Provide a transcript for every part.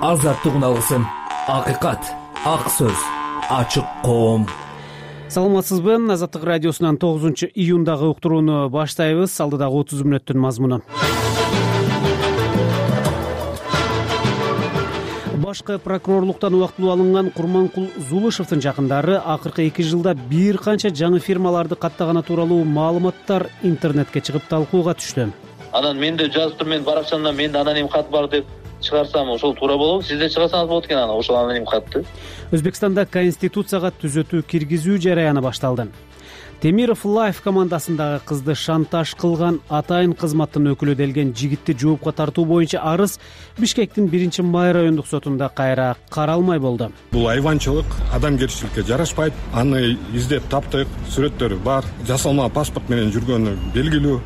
азаттык уналгысын, акыйкат, ак сөз, ачык коом. Саламатсызбы? Азаттык радиосунан 9-июндагы уктурууну баштайбыз. Алдыдагы 30 мүнөттүн мазмуну. Башкы прокурорлуктан убактылуу алынган Курманкул Зулышевдин жакындары акыркы 2 жылда бир канча жаңы фирмаларды каттаганы тууралуу маалыматтар интернетке чыгып талкууга түштү. Анан мен да жазып мен баракчамда менде аноним кат бар деп чыгарсам ошол туура болобу? Сиз да чыгарсаңыз болот экен аны, ошол аноним катты. Өзбекстанда Конституцияга түзөтүү киргизүү жараяны башталды. Темиров Лайф командасындагы кызды шантаж кылган атайын кызматтын өкүлү делген жигитти жоопко тартуу боюнча арыз Бишкектин 1-Май райондук сотунда кайра каралмай болду. Бул айванчылык адамгерчиликке жарашпайт. Аны издеп таптык, сүрөттөрү бар, жасалма паспорт менен жүргөнү белгилүү.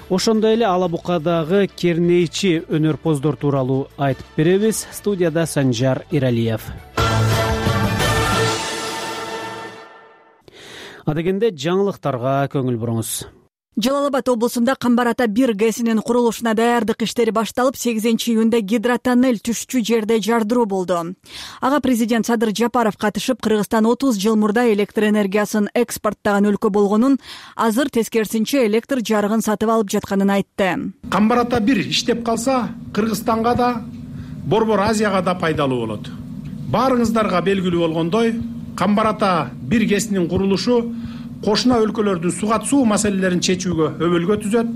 Ошондой эле Ала Букадагы кернейчи өнөрпоздор тууралуу айтып беребиз. Студияда Санжар Иралиев. Адегенде жаңылыктарга көңүл буруңуз. Жалал Абад облусунда Камбар ата 1 ГЭСинин курулушуна даярдык иштери башталып, 8-июнда гидротоннель түшчү жерде жардыруу болду. Ага президент Садыр Жапаров катышып, Кыргызстан 30 жыл мурда электр энергиясын экспорттаган өлкө болгонун, азыр тескерисинче электр жарыгын сатып алып жатканын айтты. Камбар ата 1 иштеп калса, Кыргызстанга да, Борбор Азияга да пайдалуу болот. Баарыңыздарга белгилүү болгондой, Камбар ата 1 ГЭСинин курулушу кошуна өлкөлөрдүн суга суу маселелерин чечүүгө өбөлгө түзөт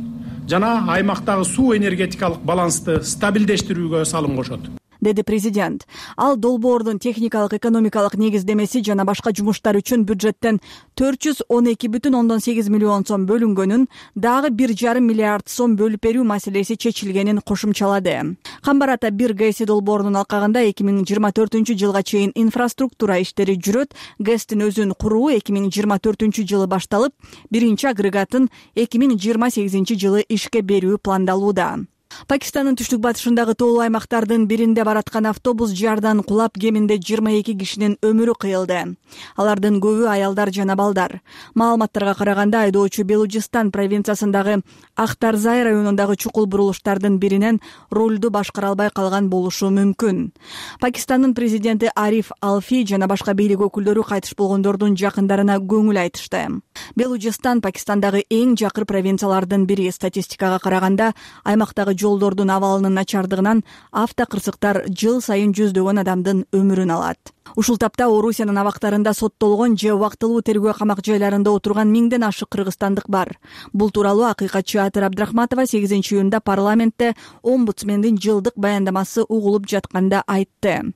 жана аймактагы суу энергетикалык балансты стабилдештирүүгө салым кошот, деди президент. Ал долбоордун техникалык экономикалык негиздемеси жана башка жумуштар үчүн бюджеттен 412,8 миллион сом бөлүнгөнүн, дагы 1,5 миллиард сом бөлүп берүү маселеси чечилгенин кошумчалады. Камбар ата 1 ГЭСи долбоорунун алкагында 2024 жылга чейин инфраструктура иштери жүрөт. ГЭСтин өзүн куруу 2024 жылы башталып, биринчи агрегатын 2028 жылы ишке берүү пландалууда. Пакистандын түштүк-батышындагы тоолуу аймактардын биринде бараткан автобус жардан кулап, кеминде 22 кишинин өмүрү кыйылды. Алардын көбү аялдар жана балдар. Маалыматтарга караганда, айдоочу Белужистан провинциясындагы Ахтарзай районундагы чукул бурулуштардын биринен рулду башкара албай калган болушу мүмкүн. Пакистандын президенти Ариф Алфи жана башка бийлик өкүлдөрү кайтыш болгондордун жакындарына көңүл айтышты. Белужистан Пакистандагы эң жакыр провинциялардын бири. Статистикага караганда, аймактагы жолдордун абалынын начардыгынан автокырсыктар жыл сайын жүздөгөн адамдын өмүрүн алат. Ушул тапта Орусиянын абактарында соттолгон же убактылуу тергөө камак жайларында отурган 1000ден ашык кыргызстандык бар. Бул тууралуу акыйкатчы Атыр Абдрахматова 8-июнда парламентте омбудсмендин жылдык баяндамасы угулуп жатканда айтты.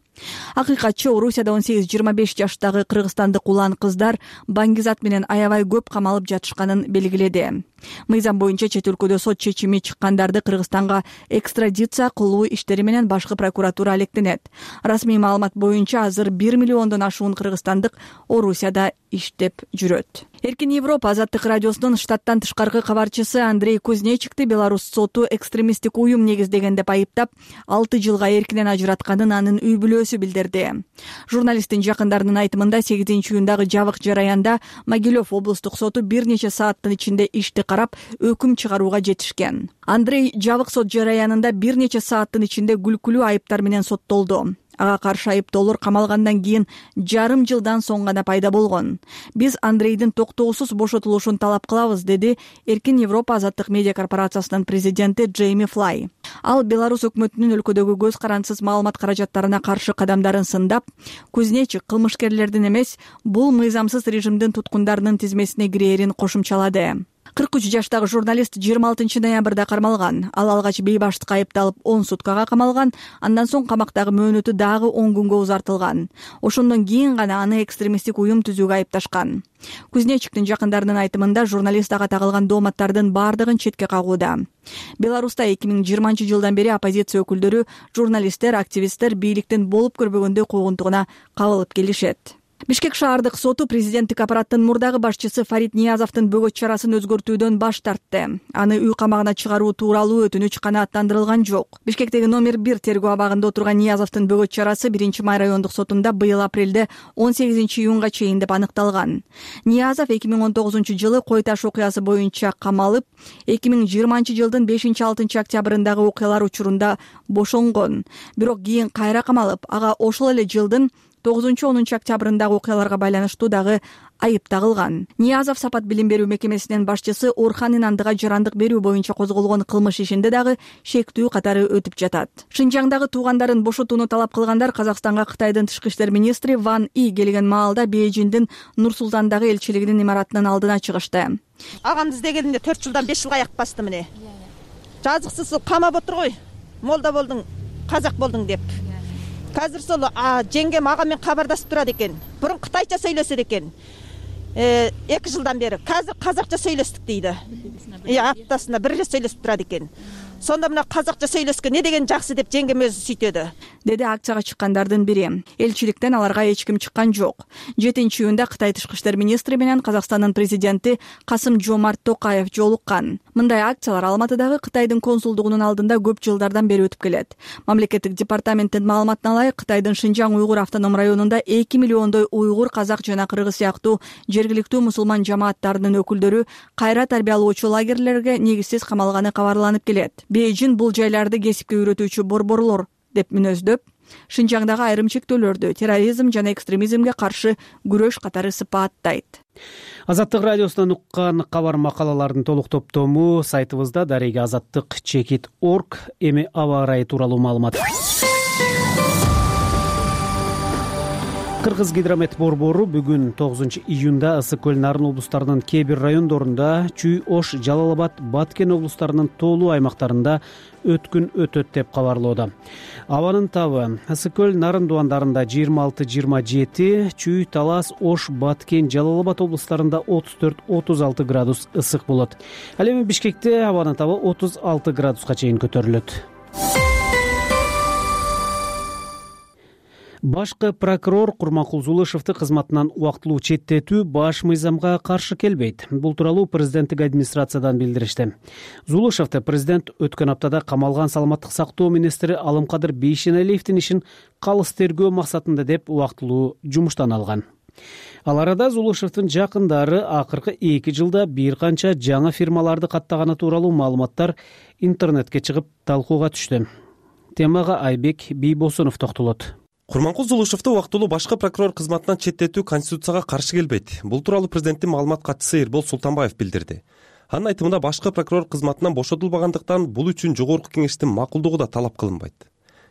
Акыйкатчы Орусияда 18-25 жаштагы кыргызстандык улан кыздар баңгизат менен аябай көп камалып жатышканын белгиледи. Мыйзам боюнча чет өлкөдө сот чечими чыккандарды Кыргызстанга экстрадиция кылуу иштери менен башкы прокуратура алектенет. Расмий маалымат боюнча азыр 1 миллиондон ашуун кыргызстандык Орусияда иштеп жүрөт. Эркин Европа азаттык радиосунун штаттан тышкаркы кабарчысы Андрей Кузнечикти Беларусь соту экстремисттик уюм негиздеген деп айыптап, 6 жылга эркинен ажыратканын анын үй бүлөсү билдирди. Журналисттин жакындарынын айтымында 8-июндагы жабык жараянда Могилев облустук соту бир нече сааттын ичинде ишти карап, өкүм чыгарууга жетишкен. Андрей жабык сот жараянында бир нече сааттын ичинде күлкүлүү айыптар менен соттолду. Ага каршы айыптоолор камалгандан кийин жарым жылдан соң гана пайда болгон. Биз Андрейдин токтоосуз бошотулушун талап кылабыз, деди Эркин Европа азаттык медиа корпорациясынын президенти Джейми Флай. Ал Беларусь өкмөтүнүн өлкөдөгү көз карансыз маалымат каражаттарына каршы кадамдарын сындап, Кузнечик кылмышкерлердин эмес, бул мыйзамсыз режимдин туткундарынын тизмесине кирээрин кошумчалады. 43 жаштагы журналист 26 ноябрда кармалган. Ал алгач бейбаштыкка айыпталып 10 суткага камалган, андан соң камактагы мөөнөтү дагы 10 күнгө узартылган. Ошондон кийин гана аны экстремисттик уюм түзүүгө айыпташкан. Кузнечиктин жакындарынын айтымында, журналист ага тагылган дооматтардын баардыгын четке кагууда. Беларуста 2020 жылдан бери оппозиция өкүлдөрү, журналисттер, активисттер бийликтин болуп көрбөгөндөй куугунтугуна кабылып келишет. Бишкек шаардык соту президенттик аппараттын мурдагы башчысы Фарид Ниязовдун бөгөт чарасын өзгөртүүдөн баш тартты. Аны үй камагына чыгаруу тууралуу өтүнүч канааттандырылган жок. Бишкектеги номер 1 тергөө абагында отурган Ниязовдун бөгөт чарасы 1-май райондук сотунда быйыл апрелде 18-июнга чейин деп аныкталган. Ниязов 2019-жылы Кой Таш окуясы боюнча камалып, 2020-жылдын 5-6 октябрындагы окуялар учурунда бошонгон. Бирок кийин кайра камалып, ага ошол эле жылдын 9-10 октябрындагы окуяларга байланыштуу дагы айып тагылган. Ниязов Сапат билим берүү мекемесинин башчысы Орхан Инандыга жарандык берүү боюнча козголгон кылмыш ишинде дагы шектүү катары өтүп жатат. Шинжаңдагы туугандарын бошотууну талап кылгандар Казакстанга Кытайдын тышкы иштер министри Ван И келген маалда Бейжиңдин Нур-Султандагы элчилигинин имаратынын алдына чыгышты. Агамды издегенде 4 жылдан 5 жылга аяк басты міне. Жазыксыз камап отур гой. Молда болдуң, казак болдуң деп. Қазір сол жеңгем ағамен хабардасып тұрады екен. Бұрын қытайша сөйлеседі екен. 2 жылдан бері. Қазір қазақша сөйлестік дейді. Аптасына бір рет сөйлесіп тұрады екен. Сонда мына қазақша сөйлеске не деген жақсы деп жеңгем өзі сүйтеді. Деди акцияга чыккандардын бири. Элчиликтен аларга эч ким чыккан жок. 7-июнда Кытай тышкы иштер министри менен Казакстандын президенти Касым-Жомарт Токаев жолуккан. Мындай акциялар Алматыдагы Кытайдын консулдугунун алдында көп жылдардан бери өтүп келет. Мамлекеттик департаменттин маалыматына ылайык, Кытайдын Шинжаң уйгур автоном районунда 2 миллиондой уйгур, казак жана кыргыз сыяктуу жергиликтүү мусулман жамааттарынын өкүлдөрү кайра тарбиялоочу лагерлерге негизсиз камалганы кабарланып келет. Бейжиң бул жайларды кесипке үйрөтүүчү борборлор деп мүнөздөп, Шинжаңдагы айрым чектөөлөрдү терроризм жана экстремизмге каршы күрөш катары сыпаттайт. Азаттык радиосунан уккан кабар макалалардын толук топтому сайтыбызда darega-azattyk.org. Эми аба ырайы тууралуу маалымат. Кыргыз гидромет борбору бүгүн 9-июнда Ысык көл, Нарын облустарынын кээ бир райондорунда, Чүй, Ош, Жалал Абад, Баткен облустарынын тоолуу аймактарында өткүн өтөт деп кабарлоодо. Абанын табы Ысык көл, Нарын дубандарында 26-27, Чүй, Талас, Ош, Баткен, Жалал Абад облустарында 34-36 градус ысык болот. Ал эми Бишкекте абанын табы 36 градуска чейин көтөрүлөт. Башкы прокурор Курманкул Зулушевди кызматынан убактылуу четтетүү баш мыйзамга каршы келбейт. Бул тууралуу президенттик администрациядан билдиришти. Зулушевди президент өткөн аптада камалган саламаттык сактоо министри Алымкадыр Бейшеналиевдин ишин калыс тергөө максатында деп убактылуу жумуштан алган. Ал арада Зулушевдин жакындары акыркы 2 жылда бир канча жаңы фирмаларды каттаганы тууралуу маалыматтар интернетке чыгып талкууга түштү. Темага Айбек Бийбосунов токтолот. Курманкул Зулушевди убактылуу башкы прокурор кызматынан четтетүү Конституцияга каршы келбейт. Бул тууралуу президенттин маалымат катчысы Эрбол Султанбаев билдирди. Анын айтымында башкы прокурор кызматынан бошотулбагандыктан бул үчүн жогорку кеңештин макулдугу да талап кылынбайт.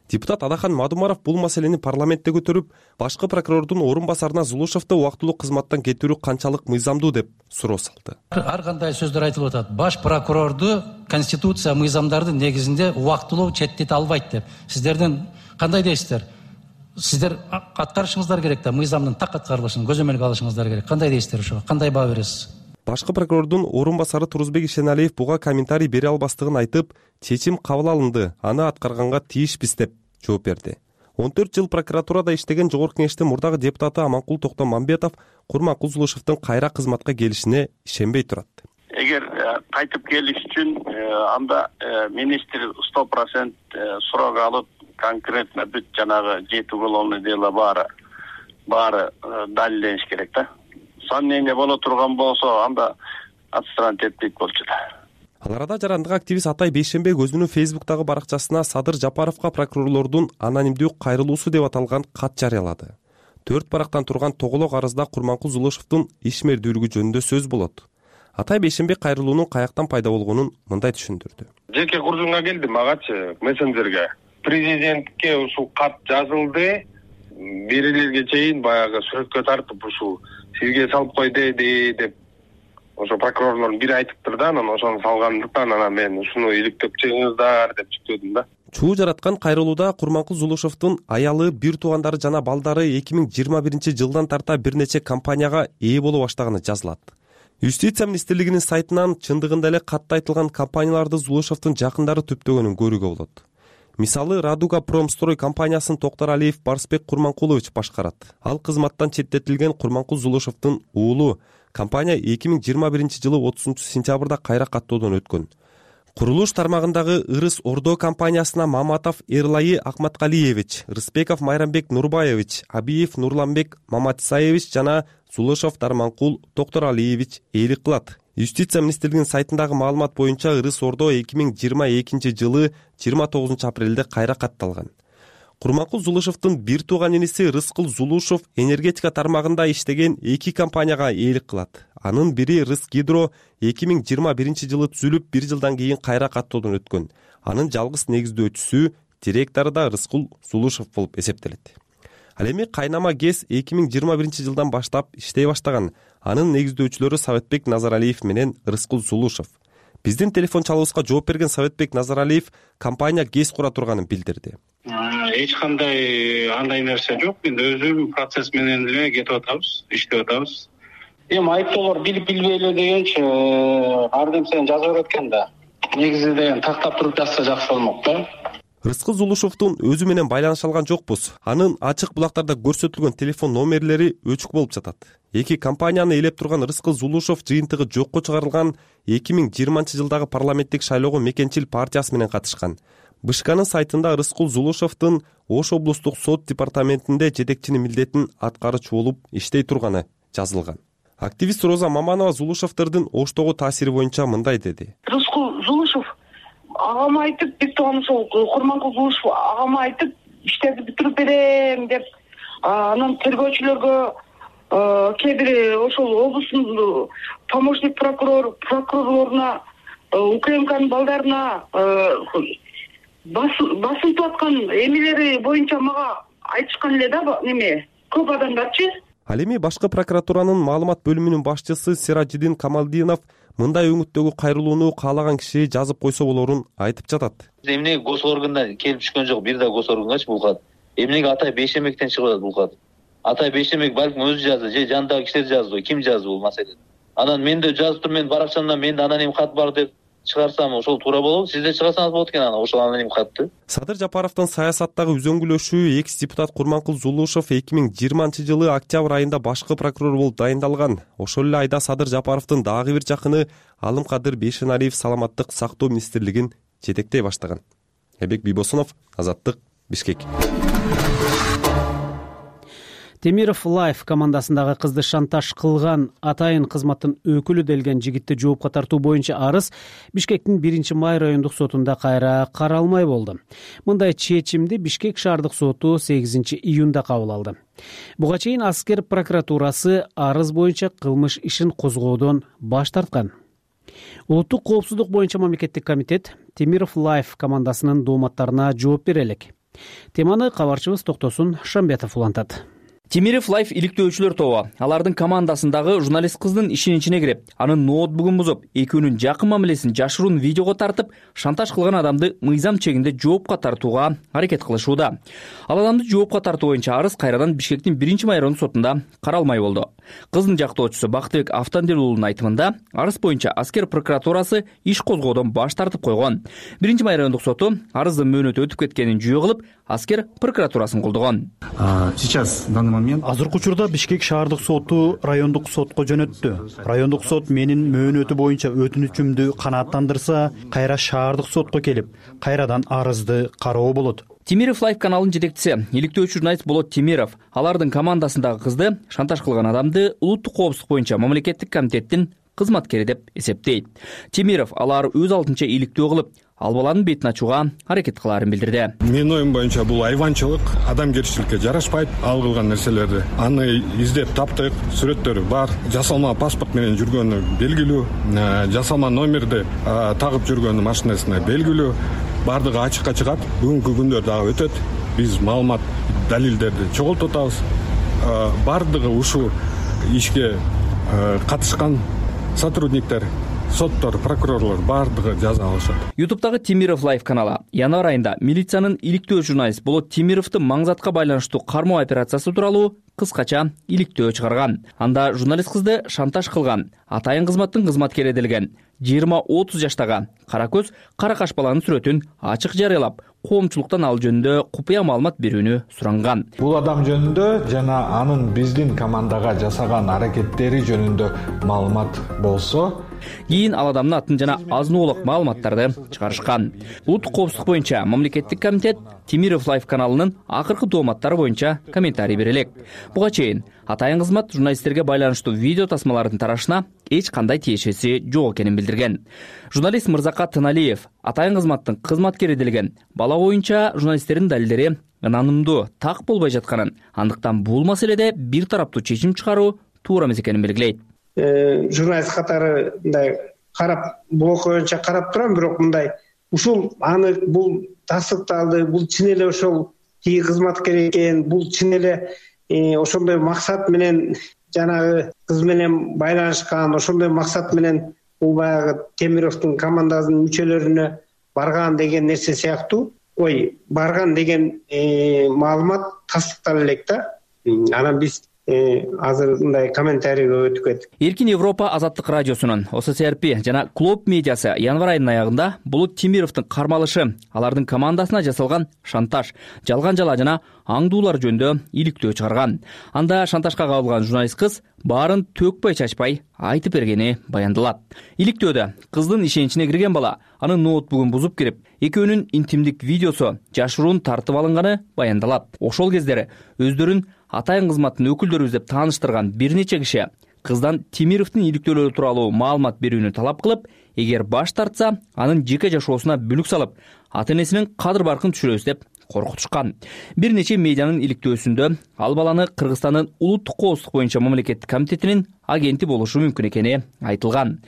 Депутат Адахан Мадумаров бул маселени парламентте көтөрүп, башкы прокурордун орун басарына Зулушевди убактылуу кызматтан кетирүү канчалык мыйзамдуу деп суроо салды. Ар кандай сөздөр айтылып атат. Баш прокурорду Конституция мыйзамдардын негизинде убактылуу четтете албайт деп. Сиздердин кандай дейсиздер? Сиздер аткарышыңыздар керек да, мыйзамдын так аткарылышын көзөмөлгө алышыңыздар керек. Кандай дейсиздер ошого? Кандай баа бересиз? Башкы прокурордун орун басары Турузбек Ишеналиев буга комментарий бере албастыгын айтып, чечим кабыл алынды, аны аткарганга тийишпиз деп жооп берди. 14 жыл прокуратурада иштеген жогорку кеңештин мурдагы депутаты Аманкул Токтомамбетов Курманкул Зулушевдин кайра кызматка келишине ишенбей турат. Эгер кайтып келиш үчүн анда министр 100% суроо алып, конкретно бүт жанагы жети уголовный дело баары далилдениш керек да. Сомнение боло турган болсо анда отстранить этпейт болчу да. Ал арада жарандык активист Атай Бейшенбек өзүнүн Фейсбуктагы баракчасына Садыр Жапаровго прокурорлордун анонимдүү кайрылуусу деп аталган кат жарыялады. 4 барактан турган тоголок арызда Курманкул Зулушевдин ишмердүүлүгү жөнүндө сөз болот. Атай Бейшенбек кайрылуунун каяктан пайда болгонун мындай түшүндүрдү. Жеке курдумга келди магачы мессенджерге. Президентке ушул кат жазылды. Берилерге чейин баягы сүрөткө тартып ушул сизге салып кой деди деп ошо прокурорлор бири айтыптыр да, анан ошону салгандыктан анан мен ушуну иликтеп чыгыңыздар деп чыктым да. Чуу жараткан кайрылууда Курманкул Зулушевдин аялы, бир туугандары жана балдары 2021 жылдан тарта бир нече компанияга ээ боло баштаганы жазылат. Юстиция министрлигинин сайтынан чындыгында эле катта айтылган компанияларды Зулушевдин жакындары түптөгөнүн көрүүгө болот. Мисалы, Радуга Промстрой компаниясын Токтор Алиев Барсбек Курманкулович башкарат. Ал кызматтан четтетилген Курманкул Зулушевдин уулу. Компания 2021-жылы 30-сентябрда кайра каттоодон өткөн. Курулуш тармагындагы Ырыс Ордо компаниясына Маматов Эрлайы Акматкалиевич, Рыспеков Майрамбек Нурбаевич, Абиев Нурланбек Маматсаевич жана Зулушев Дарманкул Токтор Алиевич ээлик кылат. Юстиция министрлигинин сайтындагы маалымат боюнча Ырыс Ордо 2022-жылы 29 апрелде кайра катталган. Курманкул Зулушевдин бир тууган иниси Рыскул Зулушев энергетика тармагында иштеген 2 компанияга ээлик кылат. Анын бири Рысгидро 2021-жылы түзүлүп, 1 жылдан кийин кайра каттоодон өткөн. Анын жалгыз негиздөөчүсү, директору да Рыскул Зулушев болуп эсептелет. Ал эми кайнама ГЭС 2021-жылдан баштап иштей баштаган. Анын негиздөөчүлөрү Советбек Назаралиев менен Рыскул Зулушев. Биздин телефон чалуубузга жооп берген Советбек Назаралиев компания ГЭС кура турганын билдирди. Эч кандай андай нерсе жок. Мен өзүм процесс менен эле кетип атабыз, иштеп атабыз. Эми айыптоолор билип билбей эле дегенчи ар нерсени жазып берет экен да. Негизи деген тактап туруп жазса жакшы болмок да. Рыскул Зулушевдун өзү менен байланыша алган жокпуз. Анын ачык булактарда көрсөтүлгөн телефон номерлери өчүк болуп жатат. 2 компанияны ээлеп турган Рыскул Зулушев жыйынтыгы жокко чыгарылган 2020-жылдагы парламенттик шайлоого Мекенчил партиясы менен катышкан. БШКнын сайтында Рыскул Зулушевдин Ош облустук сот департаментинде жетекчинин милдетин аткарчу болуп иштей турганы жазылган. Активист Роза Маманова Зулушевдердин Оштогу таасири боюнча мындай деди. Рыскул Зулушев агама айтып, бир тууган ошол Курманкул Зулушев агама айтып, иштерди бүтүрүп берем деп, анан тергөөчүлөргө кээ бир ошол облустун помощник прокурорлоруна, УКМКнын балдарына басынтып аткан эмелери боюнча мага айтышкан эле да, неме көп адамдарчы. Ал эми башкы прокуратуранын маалымат бөлүмүнүн башчысы Сиражидин Камалдинов мындай өңүттөгү кайрылууну каалаган киши жазып койсо болорун айтып жатат. Эмнеге госоргандан келип түшкөн жок, бир да госоргангачы бул кат. Эмнеге Атай Бейшемектен чыгып атат бул кат? Атай Бейшемек балким өзү жазды, же жанындагы кишилер жазды, ким жазды бул маселени? Анан мен да жазып туруп, мен баракчамда менде аноним кат бар деп чыгарсам ошол туура болобу? Сиз да чыгарсаңыз болот экен аны, ошол аноним катты. Садыр Жапаровдун саясаттагы үзөңгүлөшү экс депутат Курманкул Зулушев 2020-жылы октябрь айында башкы прокурор болуп дайындалган. Ошол эле айда Садыр Жапаровдун дагы бир жакыны Алымкадыр Бейшеналиев саламаттык сактоо министрлигин жетектей баштаган. Эбек Бийбосунов, Азаттык, Бишкек. Темиров Лайф командасындагы кызды шантаж кылган атайын кызматтын өкүлү делген жигитти жоопко тартуу боюнча арыз Бишкектин 1-май райондук сотунда кайра каралмай болду. Мындай чечимди Бишкек шаардык соту 8-июнда кабыл алды. Буга чейин Аскер прокуратурасы арыз боюнча кылмыш ишин козгоодон баш тарткан. Улуттук коопсуздук боюнча мамлекеттик комитет Темиров Лайф командасынын дооматтарына жооп бере элек. Теманы кабарчыбыз Токтосун Шамбетов улантат. Темиров Лайф иликтөөчүлөр тобу алардын командасындагы журналист кыздын ишинин ичине кирип, анын ноутбугун бузуп, экөөнүн жакын мамилесин жашыруун видеого тартып, шантаж кылган адамды мыйзам чегинде жоопко тартууга аракет кылышууда. Ал адамды жоопко тартуу боюнча арыз кайрадан Бишкектин 1-май райондук сотунда каралмай болду. Кыздын жактоочусу Бактыбек Автандел уулунун айтымында, арыз боюнча Аскер прокуратурасы иш козгоодон баш тартып койгон. 1-май райондук соту арыздын мөөнөтү өтүп кеткенин жүйө кылып, Аскер прокуратурасын колдогон. Сейчас данный момент азыркы учурда Бишкек шаардык соту райондук сотко жөнөттү. Райондук сот менин мөөнөтү боюнча өтүнүчүмдү канааттандырса, кайра шаардык сотко келип, кайрадан арызды кароо болот. Темиров Лайф каналынын жетекчиси, иликтөөчү журналист Болот Темиров алардын командасындагы кызды шантаж кылган адамды улуттук коопсуздук боюнча мамлекеттик комитеттин кызматкери деп эсептейт. Темиров алар өз алдынча иликтөө кылып, ал баланын бетин ачууга аракет кылаарын билдирди. Менин оюм боюнча бул айванчылык, адамгерчиликке жарашпайт. Ал кылган нерселерди аны издеп таптык, сүрөттөрү бар. Жасалма паспорт менен жүргөнү белгилүү, жасалма номерди тагып жүргөнү машинасына белгилүү. Бардыгы ачыкка чыгат. Бүгүнкү күндө дагы өтөт. Биз маалымат, далилдерди чогултуп атабыз. Бардыгы ушул ишке катышкан сотрудниктер, соттор, прокурорлор бардыгы жаза алышат. YouTube'дагы Темиров Лайф каналы январь айында милициянын иликтөө журналист Болот Темировду маңзатка байланыштуу кармоо операциясы тууралуу кыскача иликтөө чыгарган. Анда журналист кызды шантаж кылган, атайын кызматтын кызматкери делген 20-30 жаштагы кара көз кара каш баланын сүрөтүн ачык жарыялап, коомчулуктан ал жөнүндө купуя маалымат берүүнү суранган. Бул адам жөнүндө жана анын биздин командага жасаган аракеттери жөнүндө маалымат болсо, кийин ал адамдын атын жана азын-оолук маалыматтарды чыгарышкан. Улуттук коопсуздук боюнча мамлекеттик комитет Темиров Лайф каналынын акыркы дооматтары боюнча комментарий бере элек. Буга чейин атайын кызмат журналисттерге байланыштуу видео тасмалардын тарашына эч кандай тиешеси жок экенин билдирген. Журналист Мырзакат Тыналиев атайын кызматтын кызматкери делген бала боюнча журналисттердин далилдери ынанымдуу так болбой жатканын, андыктан бул маселеде бир тараптуу чечим чыгаруу туура эмес экенин белгилейт. Журналист катары мындай карап, бул окуя боюнча карап турам, бирок мындай ушул аны бул тастыкталды, бул чын эле ошол тиги кызматкер экен, бул чын эле ошондой максат менен жанагы кыз менен байланышкан, ошондой максат менен бул баягы Темировдун командасынын мүчөлөрүнө барган деген нерсе сыяктуу. Барган деген маалымат тастыктала элек да. Анан биз азыр мындай комментарийге өтүп кеттик. Эркин Европа Азаттык радиосунун ОССРП жана Клоп медиасы январь айынын аягында Булут Темировдун кармалышы, алардын командасына жасалган шантаж, жалган жала жана аңдуулар жөнүндө иликтөө чыгарган. Анда шантажга кабылган журналист кыз баарын төкпөй чачпай айтып бергени баяндалат. Иликтөөдө кыздын ишеничине кирген бала анын ноутбугун бузуп кирип, экөөнүн интимдик видеосу жашыруун тартып алынганы баяндалат. Ошол кездери өздөрүн атайын кызматтын өкүлдөрүбүз деп тааныштырган бир нече киши кыздан Темировдун иликтөөлөрү тууралуу маалымат берүүнү талап кылып, эгер баш тартса, анын жеке жашоосуна бүлүк салып, ата-энесинин кадыр-баркын түшүрөбүз деп коркутушкан. Бир нече медианын иликтөөсүндө ал баланы Кыргызстандын улуттук коопсуздук боюнча мамлекеттик комитетинин агенти болушу мүмкүн экени айтылган.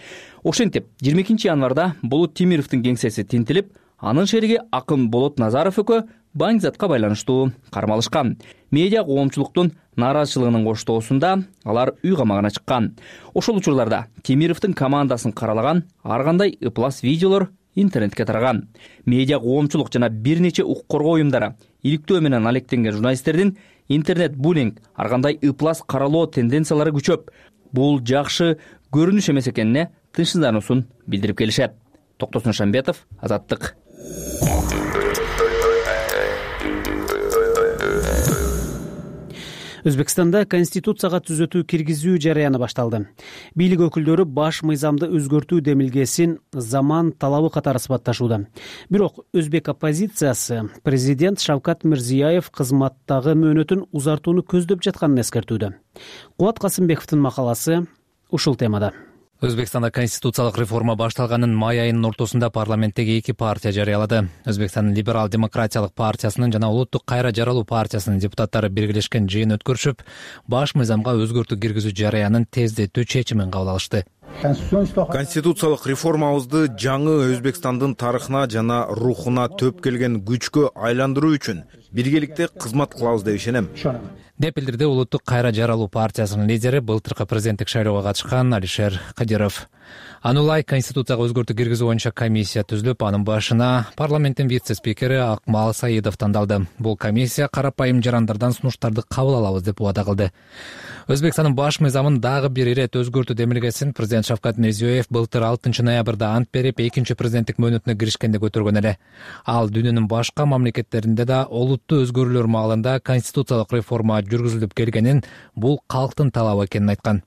Ошентип, 22 январда Булут Темировдун кеңсеси тинтилип, анын шериги Акын Болот Назаров экөө баңгизатка байланыштуу кармалышкан. Медиа коомчулуктун нааразычылыгынын коштоосунда алар үй камагына чыккан. Ошол учурларда Темировдун командасын каралаган ар кандай ыплас видеолор интернетке тараган. Медиа коомчулук жана бир нече укук коргоо уюмдары иликтөө менен алектенген журналисттердин интернет-буллинг, ар кандай ыплас каралоо тенденциялары күчөп, бул жакшы көрүнүш эмес экенине тынчсыздануусун билдирип келишет. Токтосун Шамбетов, Азаттык. Өзбекстанда конституцияга түзөтүү киргизүү жарыяны башталды. Бийлик өкүлдөрү баш мыйзамды өзгөртүү демилгесин заман талабы катары сыпатташууда. Бирок өзбек оппозициясы президент Шавкат Мирзиёев кызматтагы мөөнөтүн узартууну көздөп жатканын эскертүүдө. Кубат Касымбековдун макаласы ушул темада. Өзбекстанда конституциялык реформа башталганын май айынын ортосунда парламенттеги эки партия жарыялады. Өзбекстандын либерал-демократиялык партиясынын жана улуттук кайра жаралуу партиясынын депутаттары биргелешкен жыйын өткөрүшүп, баш мыйзамга өзгөртүү киргизүү жарыянын тездетүү чечимин кабыл алышты. Конституциялык реформабызды жаңы Өзбекстандын тарыхына жана рухуна төп келген күчкө айландыруу үчүн биргеликте кызмат кылабыз деп ишенем, деп билдирди улуттук кайра жаралуу партиясынын лидери, былтыркы президенттик шайлоого катышкан Алишер Кадиров. Аны улай конституцияга өзгөртүү киргизүү боюнча комиссия түзүлүп, анын башына парламенттин вице-спикери Акмал Саидов тандалды. Бул комиссия карапайым жарандардан сунуштарды кабыл алабыз деп убада кылды. Өзбекстандын баш мыйзамын дагы бир ирет өзгөртүү демилгесин президент Шавкат Мирзиёев былтыр 6 ноябрда ант берип, экинчи президенттик мөөнөтүнө киришкенде көтөргөн эле. Ал дүйнөнүн башка мамлекеттеринде да олуттуу өзгөрүүлөр маалында конституциялык реформа жүргүзүлүп келгенин, бул калктын талабы экенин айткан.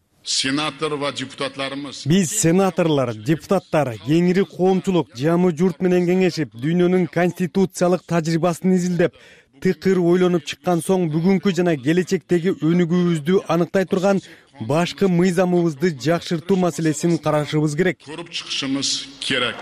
Биз сенаторлор, депутаттар, кеңири коомчулук жамы журт менен кеңешип, дүйнөнүн конституциялык тажрыйбасын изилдеп, тыкыр ойлонуп чыккан соң бүгүнкү жана келечектеги өнүгүүбүздү аныктай турган башкы мыйзамыбызды жакшыртуу маселесин карашыбыз керек. Көрүп чыгышыбыз керек,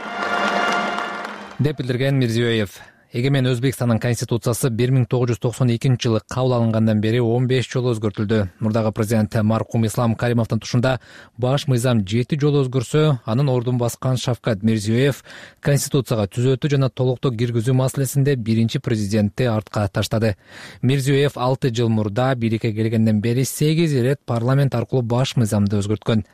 деп билдирген Мирзиёев. Эгемен Өзбекстандын конституциясы 1992 жылы кабыл алынгандан бери 15 жолу өзгөртүлдү. Мурдагы президент маркум Ислам Каримовдун тушунда баш мыйзам 7 жолу өзгөрсө, анын ордун баскан Шавкат Мирзиёев конституцияга түзөтүү жана толуктоо киргизүү маселесинде биринчи президентти артка таштады. Мирзиёев 6 жыл мурда бийликке келгенден бери 8 ирет парламент аркылуу баш мыйзамды өзгөрткөн.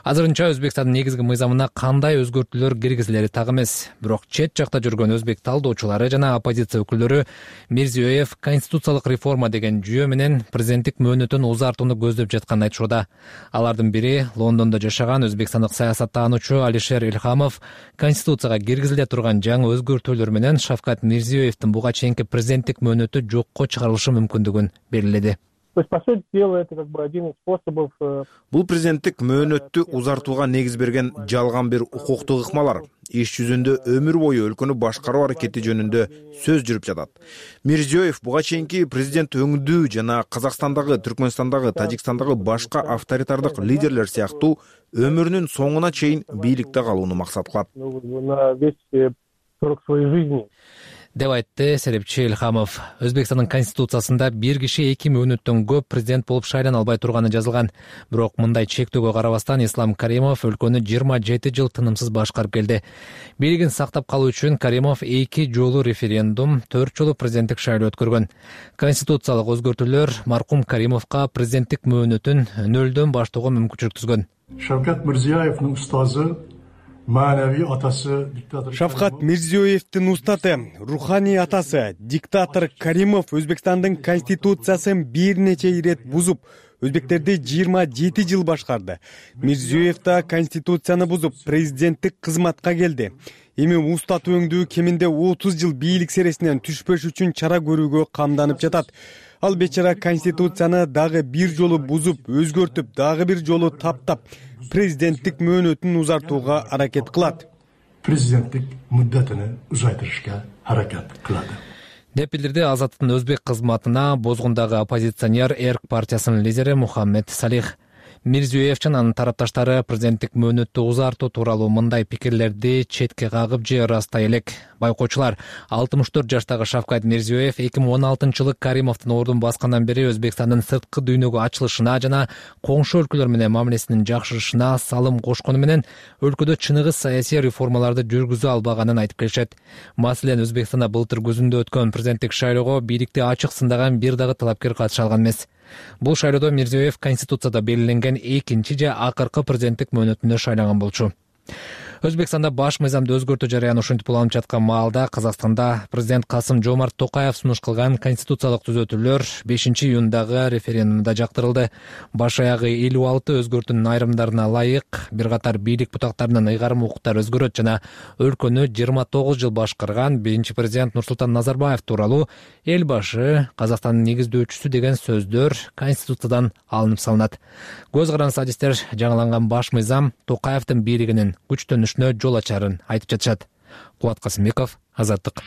Азырынча Өзбекстандын негизги мыйзамына кандай өзгөртүүлөр киргизилери так эмес. Бирок чет жакта жүргөн өзбек талдоочулары жана оппозиция өкүлдөрү Мирзиёев конституциялык реформа деген жүйө менен президенттик мөөнөтүн узартууну көздөп жатканын айтышууда. Алардын бири Лондондо жашаган өзбекстандык саясаттануучу Алишер Илхамов конституцияга киргизиле турган жаңы өзгөртүүлөр менен Шавкат Мирзиёевдин буга чейинки президенттик мөөнөтү жокко чыгарылышы мүмкүндүгүн белгиледи. Бул президенттик мөөнөттү узартууга негиз берген жалган бир укуктук ыкмалар. Иш жүзүндө өмүр бою өлкөнү башкаруу аракети жөнүндө сөз жүрүп жатат. Мирзиёев буга чейинки президент өңдүү жана Казакстандагы, Түркмөнстандагы, Тажикстандагы башка авторитардык лидерлер сыяктуу өмүрүнүн соңуна чейин бийликте калууну максат кылат деп айтты серепчи Илхамов. Өзбекстандын конституциясында бир киши 2 мөөнөттөн көп президент болуп шайлана албай турганы жазылган. Бирок мындай чектөөгө карабастан Ислам Каримов өлкөнү 27 жыл тынымсыз башкарып келди. Бийлигин сактап калуу үчүн Каримов 2 жолу референдум, 4 жолу президенттик шайлоо өткөргөн. Конституциялык өзгөртүүлөр маркум Каримовго президенттик мөөнөтүн нөлдөн баштоого мүмкүнчүлүк түзгөн. Шавкат Мирзиёевдин устазы, маанавий атасы диктатор Шавкат Мирзиёевдин устаты, руханий атасы диктатор Каримов Өзбекстандын конституциясын бир нече ирет бузуп, өзбектерди 27 жыл башкарды. Мирзиёев да конституцияны бузуп, президенттик кызматка келди. Эми устат өңдүү кеминде 30 жыл бийлик сересинен түшпөш үчүн чара көрүүгө камданып жатат. Ал бечара конституцияны дагы бир жолу бузуп, өзгөртүп, дагы бир жолу таптап, президенттик мөөнөтүн узартууга аракет кылат. Президенттик муддатыны узайтырышка аракет кылат деп билдирди Азаттын өзбек кызматына Бозгундагы оппозиционер Эрк партиясынын лидери Мухаммед Салих. Мирзиёев жана анын тарапташтары президенттик мөөнөттү узартуу тууралуу мындай пикирлерди четке кагып же ырастай элек. Байкоочулар, 64 жаштагы Шавкат Мирзиёев 2016-жылы Каримовдун ордун баскандан бери Өзбекстандын сырткы дүйнөгө ачылышына жана коңшу өлкөлөр менен мамилесинин жакшырышына салым кошкону менен өлкөдө чыныгы саясий реформаларды жүргүзө албаганын айтып келишет. Маселен, Өзбекстанда былтыр күзүндө өткөн президенттик шайлоого бийликти ачык сындаган бир дагы талапкер катыша алган эмес. Бул шайлоодо Мирзиёев конституцияда белгиленген экинчи же акыркы президенттик мөөнөтүнө шайланган болчу. Өзбекстанда баш мыйзамды өзгөртүү жарыяны ушинтип уланып жаткан маалда Казакстанда президент Касым Жомарт Токаев сунуш кылган конституциялык түзөтүүлөр 5-июндагы референдумда жактырылды. Баш аягы 56 өзгөртүүнүн айрымдарына ылайык бир катар бийлик бутактарынын ыйгарым укуктары өзгөрөт жана өлкөнү 29 жыл башкарган биринчи президент Нурсултан Назарбаев тууралуу эл башы, Казакстандын негиздөөчүсү деген сөздөр конституциядан алынып салынат. Көз карандысы адистер жаңыланган баш мыйзам Токаевдин бийлигинин күчтөнүшүнө жол ачарын айтып жатышат. Кубат Касымбеков, Азаттык.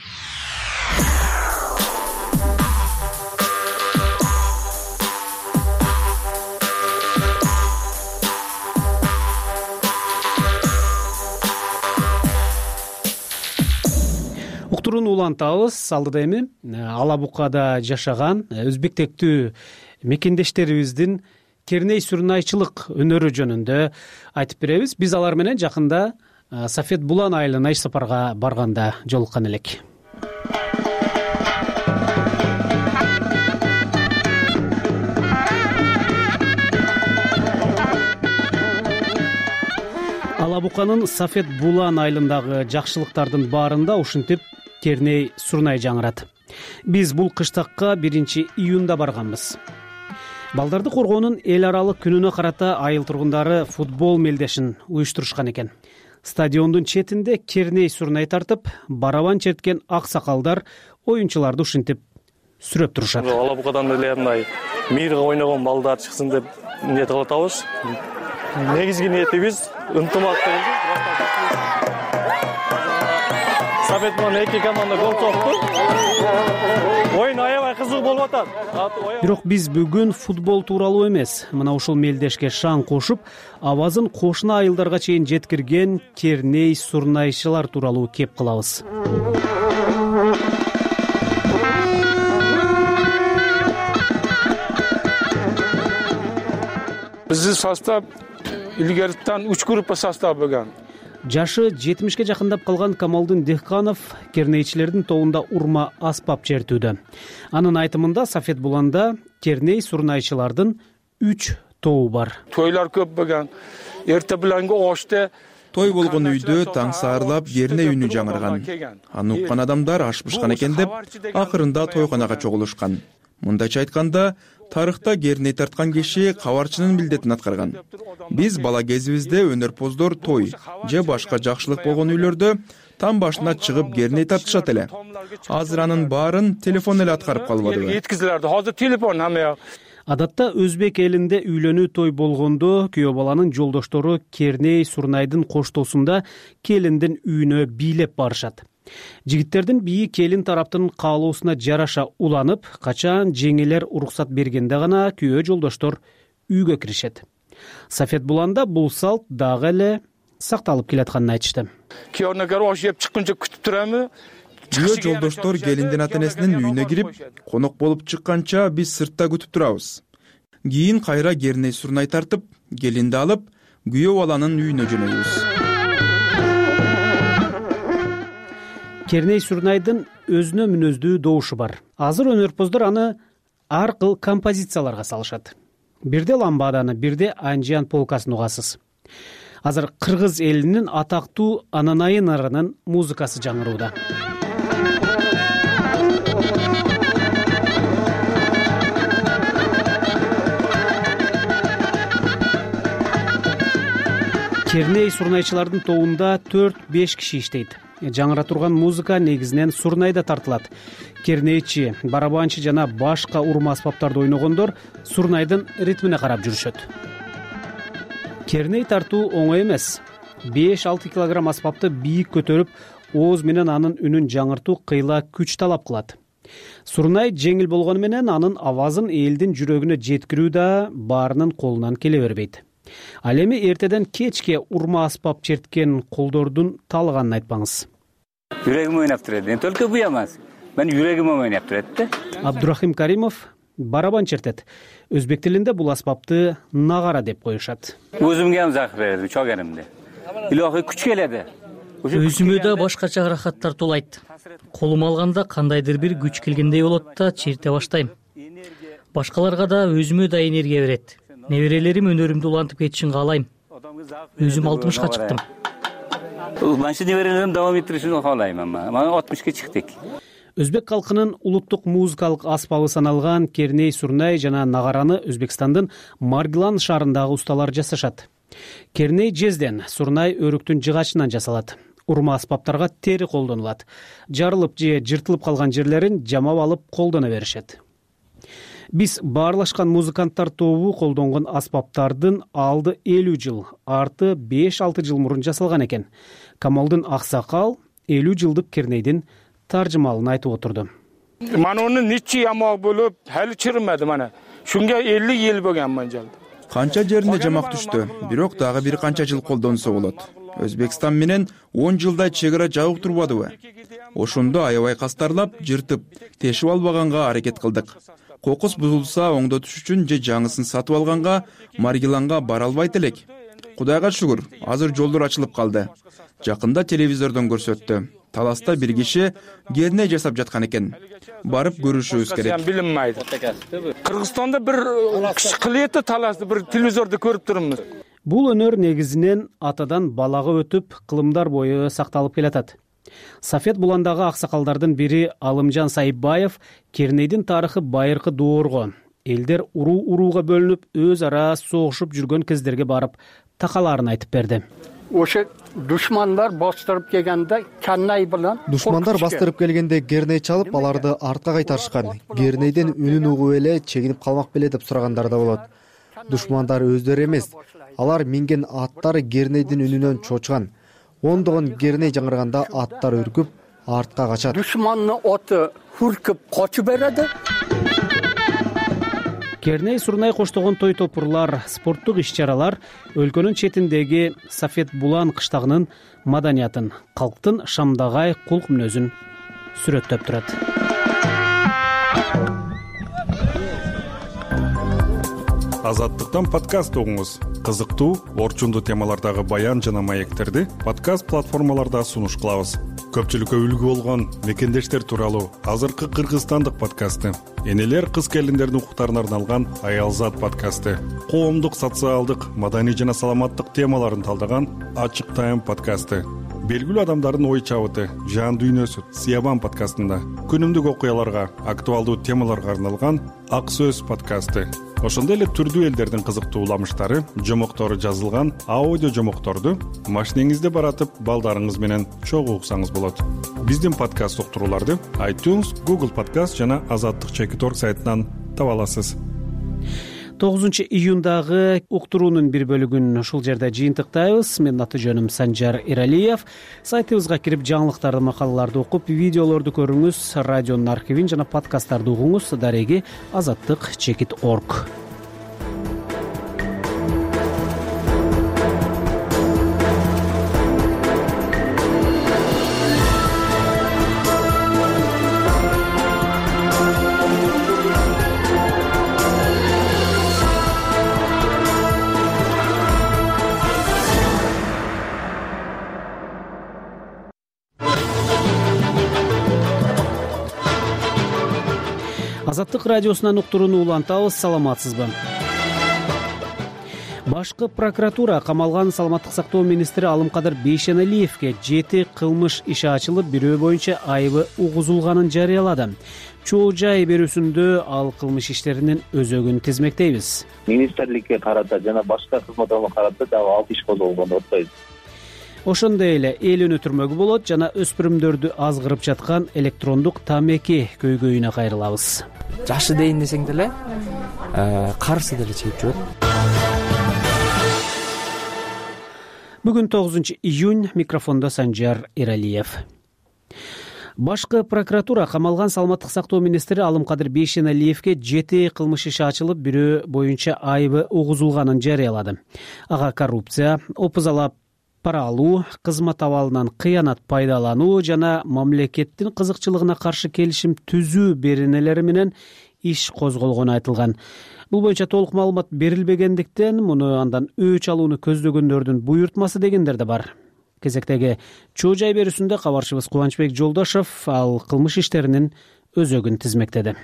Уктурууну улантабыз. Алдыда эми Алабукада жашаган өзбектектүү мекендештерибиздин керней сурнайчылык өнөрү жөнүндө айтып беребиз. Биз алар менен жакында Сафет Булан айылына иш сапарга барганда жолуккан элек. Алабуканын Сафет Булан айылындагы жакшылыктардын баарында ушинтип керней сурнай жаңырат. Биз бул кыштакка 1-июнда барганбыз. Балдарды коргоонун эл аралык күнүнө карата айыл тургундары футбол мелдешин уюштурушкан экен. Стадиондун четинде керней сурнай тартып, барабан черткен ак сакалдар оюнчуларды ушинтип сүрөп турушат. Алабукадан эле мындай мирге ойногон балдар чыксын деп ниет кылып атабыз. Негизги ниетибиз ынтымактуу. Сафетман 2 команда гол сокту. Оюн аябай кызык болуп атат. Бирок биз бүгүн футбол тууралуу эмес, мына ушул мелдешке шаң кошуп, абазын кошуна айылдарга чейин жеткирген керней сурнайчылар тууралуу кеп кылабыз. Биздин состав илгертен 3 группа состав болгон. Жашы 70-ке жакындап калган Камалдын Дехканов кернейчилердин тобунда урма аспап чертүүдө. Анын айтымында Сафет Буланда керней сурнайчылардын 3 тобу бар. Тойлар көп болгон. Эрте биланга оште той болгон үйдө таң саарлап керней үнү жаңырган. Аны уккан адамдар аш бышкан экен деп акырында тойконага чогулушкан. Мындайча айтканда, тарыхта керней тарткан киши кабарчынын милдетин аткарган. Биз бала кезибизде өнөрпоздор той же башка жакшылык болгон үйлөрдө там башына чыгып керней тартышат эле. Азыр анын баарын телефон эле аткарып калбадыбы? Жеткизилерди. Азыр телефон хамма. Адатта өзбек элинде үйлөнүү той болгондо күйөө баланын жолдоштору керней Сурнайдын коштоосунда келиндин үйүнө бийлеп барышат. Жигиттердин бийи келин тараптын каалоосуна жараша уланып, качан жеңелер уруксат бергенде гана күйөө жолдоштор үйгө киришет. Сафет Буланда бул салт дагы эле сакталып келатканын айтышты. Күйөөнө ош жеп чыкканча күтүп турамы? Күйөө жолдоштор келиндин ата-энесинин үйүнө кирип, конок болуп чыкканча биз сыртта күтүп турабыз. Кийин кайра керней Сурнай тартып, келинди алып, күйөө баланын үйүнө жөнөйбүз. Керней Сурнайдын өзүнө мүнөздүү добушу бар. Азыр өнөрпоздор аны ар кыл композицияларга салышат. Бирде ламбаданы, бирде Анжиан полкасын угасыз. Азыр кыргыз элинин атактуу Ананайы нарынын музыкасы жаңырууда. Керней Сурнайчылардын тобунда 4-5 киши иштейт. Жаңыра турган музыка негизинен Сурнайда тартылат. Кернейчи, барабанчы жана башка урма аспаптарды ойногондор Сурнайдын ритмине карап жүрүшөт. Керней тартуу оңой эмес. 5-6 килограмм аспапты бийик көтөрүп, ооз менен анын үнүн жаңыртуу кыйла күч талап кылат. Сурнай жеңил болгону менен анын авазын элдин жүрөгүнө жеткирүү да баарынын колунан келе бербейт. Ал эми эртеден кечке урма аспап черткен колдордун таалганын айтпаңыз. Жүрөгүм ойнап турат. Мен только буя эмес. Мен жүрөгүм ойнап турат да. Абдурахим Каримов барабан чертет. Өзбек тилинде бул аспапты нагара деп коюшат. Өзүмгө ham зак берди, чогеримде. Илохи күч келеди. Өзүмө да башкача ырахаттар туулайт. Колум алганда кандайдыр бир күч келгендей болот да черте баштайм. Башкаларга да өзүмө да энергия берет. Неберелерим өнөрүмдү улантып кетишин каалайм. Өзүм 60ка чыктым. Манчы неберелерим давам этиришин каалайм, мен 60ка чыктык. Өзбек калкынын улуттук музыкалык аспабы саналган Керней Сурнай жана нагараны Өзбекстандын Маргилан шаарындагы усталар жасашат. Керней жезден, Сурнай өрүктүн жыгачынан жасалат. Урма аспаптарга тери колдонулат. Жарылып же жыртылып калган жерлерин жамап алып колдоно беришет. Биз баарлашкан музыканттар тобу колдонгон аспаптардын алды 50 жыл, арты 5-6 жыл мурун жасалган экен. Камалдын Аксакал 50 жылдык Кернейдин таржымалын айтып отурду. Мана онун нече ямак болуп, хали чырмады мана. Шунга 50 ел болгон манжалды. Канча жерине жамак түштү, бирок дагы бир канча жыл колдонсо болот. Өзбекстан менен 10 жылдай чегара жабык турбадыбы? Ошондо аябай кастарлап, жыртып, тешип албаганга аракет кылдык. Кокус бузулса оңдотуш үчүн же жаңысын сатып алганга Маргиланга бара албайт элек. Кудайга шүгүр, азыр жолдор ачылып калды. Жакында телевизордон көрсөттү. Таласта бир киши керней жасап жаткан экен. Барып көрүшүбүз керек. Билинмейди. Кыргызстанда бир кылыйты таласты бир телевизордо көрүп турмуз. Бул өнөр негизинен атадан балага өтүп, кылымдар бою сакталып келатат. Сафет Буландагы аксакалдардын бири Алымжан Сайбаев Кернейдин тарыхы байыркы доорго, элдер урууга бөлүнүп, өз ара согушуп жүргөн кездерге барып такаларын айтып берди. Ошо душмандар бастырып келгенде Керней менен Керней чалып, аларды артка кайтарышкан. Кернейдин үнүн угуп эле чегинип калмак беле деп сурагандар да болот. Душмандар өздөрү эмес, алар минген аттар Кернейдин үнүнөн чочкан. Ондогон Керней жаңырганда аттар үркүп, артка качат. Душмандын аты үркүп качып берди. Керней Сурнай коштогон той топурлар, спорттук иш-чаралар өлкөнүн четиндеги Сафет Булан кыштагынын маданиятын, калктын шамдагай кулк мүнөзүн сүрөттөп турат. Азаттыктан подкаст угуңуз. Кызыктуу, орчундуу темалардагы баян жана маектерди подкаст платформаларда сунуш кылабыз. көпчүлүккө үлгү болгон мекендештер тууралуу азыркы кыргызстандык подкасты, энелер кыз келиндердин укуктарына арналган Аялзат подкасты, коомдук, социалдык, маданий жана саламаттык темаларын талдаган Ачык Тайм подкасты, белгилүү адамдардын ой чабыты, жан дүйнөсү Сиябан подкастында, күнүмдүк окуяларга, актуалдуу темаларга арналган Ак Сөз подкасты, ошондой эле түрдүү элдердин кызыктуу уламыштары, жомоктору жазылган аудио жомокторду машинеңизде баратып балдарыңыз менен чогуу уксаңыз болот. Биздин подкаст уктурууларды iTunes, Google Podcast жана Азаттык.org сайтынан таба аласыз. 9 июндагы уктуруунун бир бөлүгүн ушул жерде жыйынтыктайбыз. Менин аты жөнүм Санжар Эралиев. Сайтыбызга кирип жаңылыктарды, макалаларды окуп, видеолорду көрүңүз, радионун архивин жана подкасттарды угуңуз. Дареги Азаттык.org. Азаттык радиосунан уктурууну улантабыз. Саламатсызбы? Башкы прокуратура камалган саламаттык сактоо министри Алымкадыр Бейшеналиевге 7 кылмыш иши ачылып, бирөө боюнча айыбы угузулганын жарыялады. Чоо жай берүүсүндө ал кылмыш иштеринин өзөгүн тизмектейбиз. Министрликке карата жана башка кызмат алууга карата дагы 6 иш козголгон деп атпайбыз. Ошондой эле эл өнүтүрмөгү болот жана өспүрүмдөрдү азгырып жаткан электрондук тамеки көйгөйүнө кайрылабыз. Жашы дейин десең деле карысы деле чегип жүрөт. Бүгүн 9 июнь, микрофондо Санжар Эралиев. Башкы прокуратура камалган саламаттык сактоо министри Алымкадыр Бейшеналиевге 7 кылмыш иши ачылып, бирөө боюнча айыбы угузулганын жарыялады. Ага коррупция, опузалап пара алуу, кызмат абалынан кыянат пайдалануу жана мамлекеттин кызыкчылыгына каршы келишим түзүү беренелери менен иш козголгону айтылган. Бул боюнча толук маалымат берилбегендиктен, муну андан өч алууну көздөгөндөрдүн буйртмасы дегендер да бар. Кезектеги чоо жай берүүсүндө кабарчыбыз Кубанычбек Жолдошов ал кылмыш иштеринин өзөгүн тизмектеди.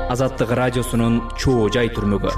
Азаттык радиосунун чоо жай түрмөгү.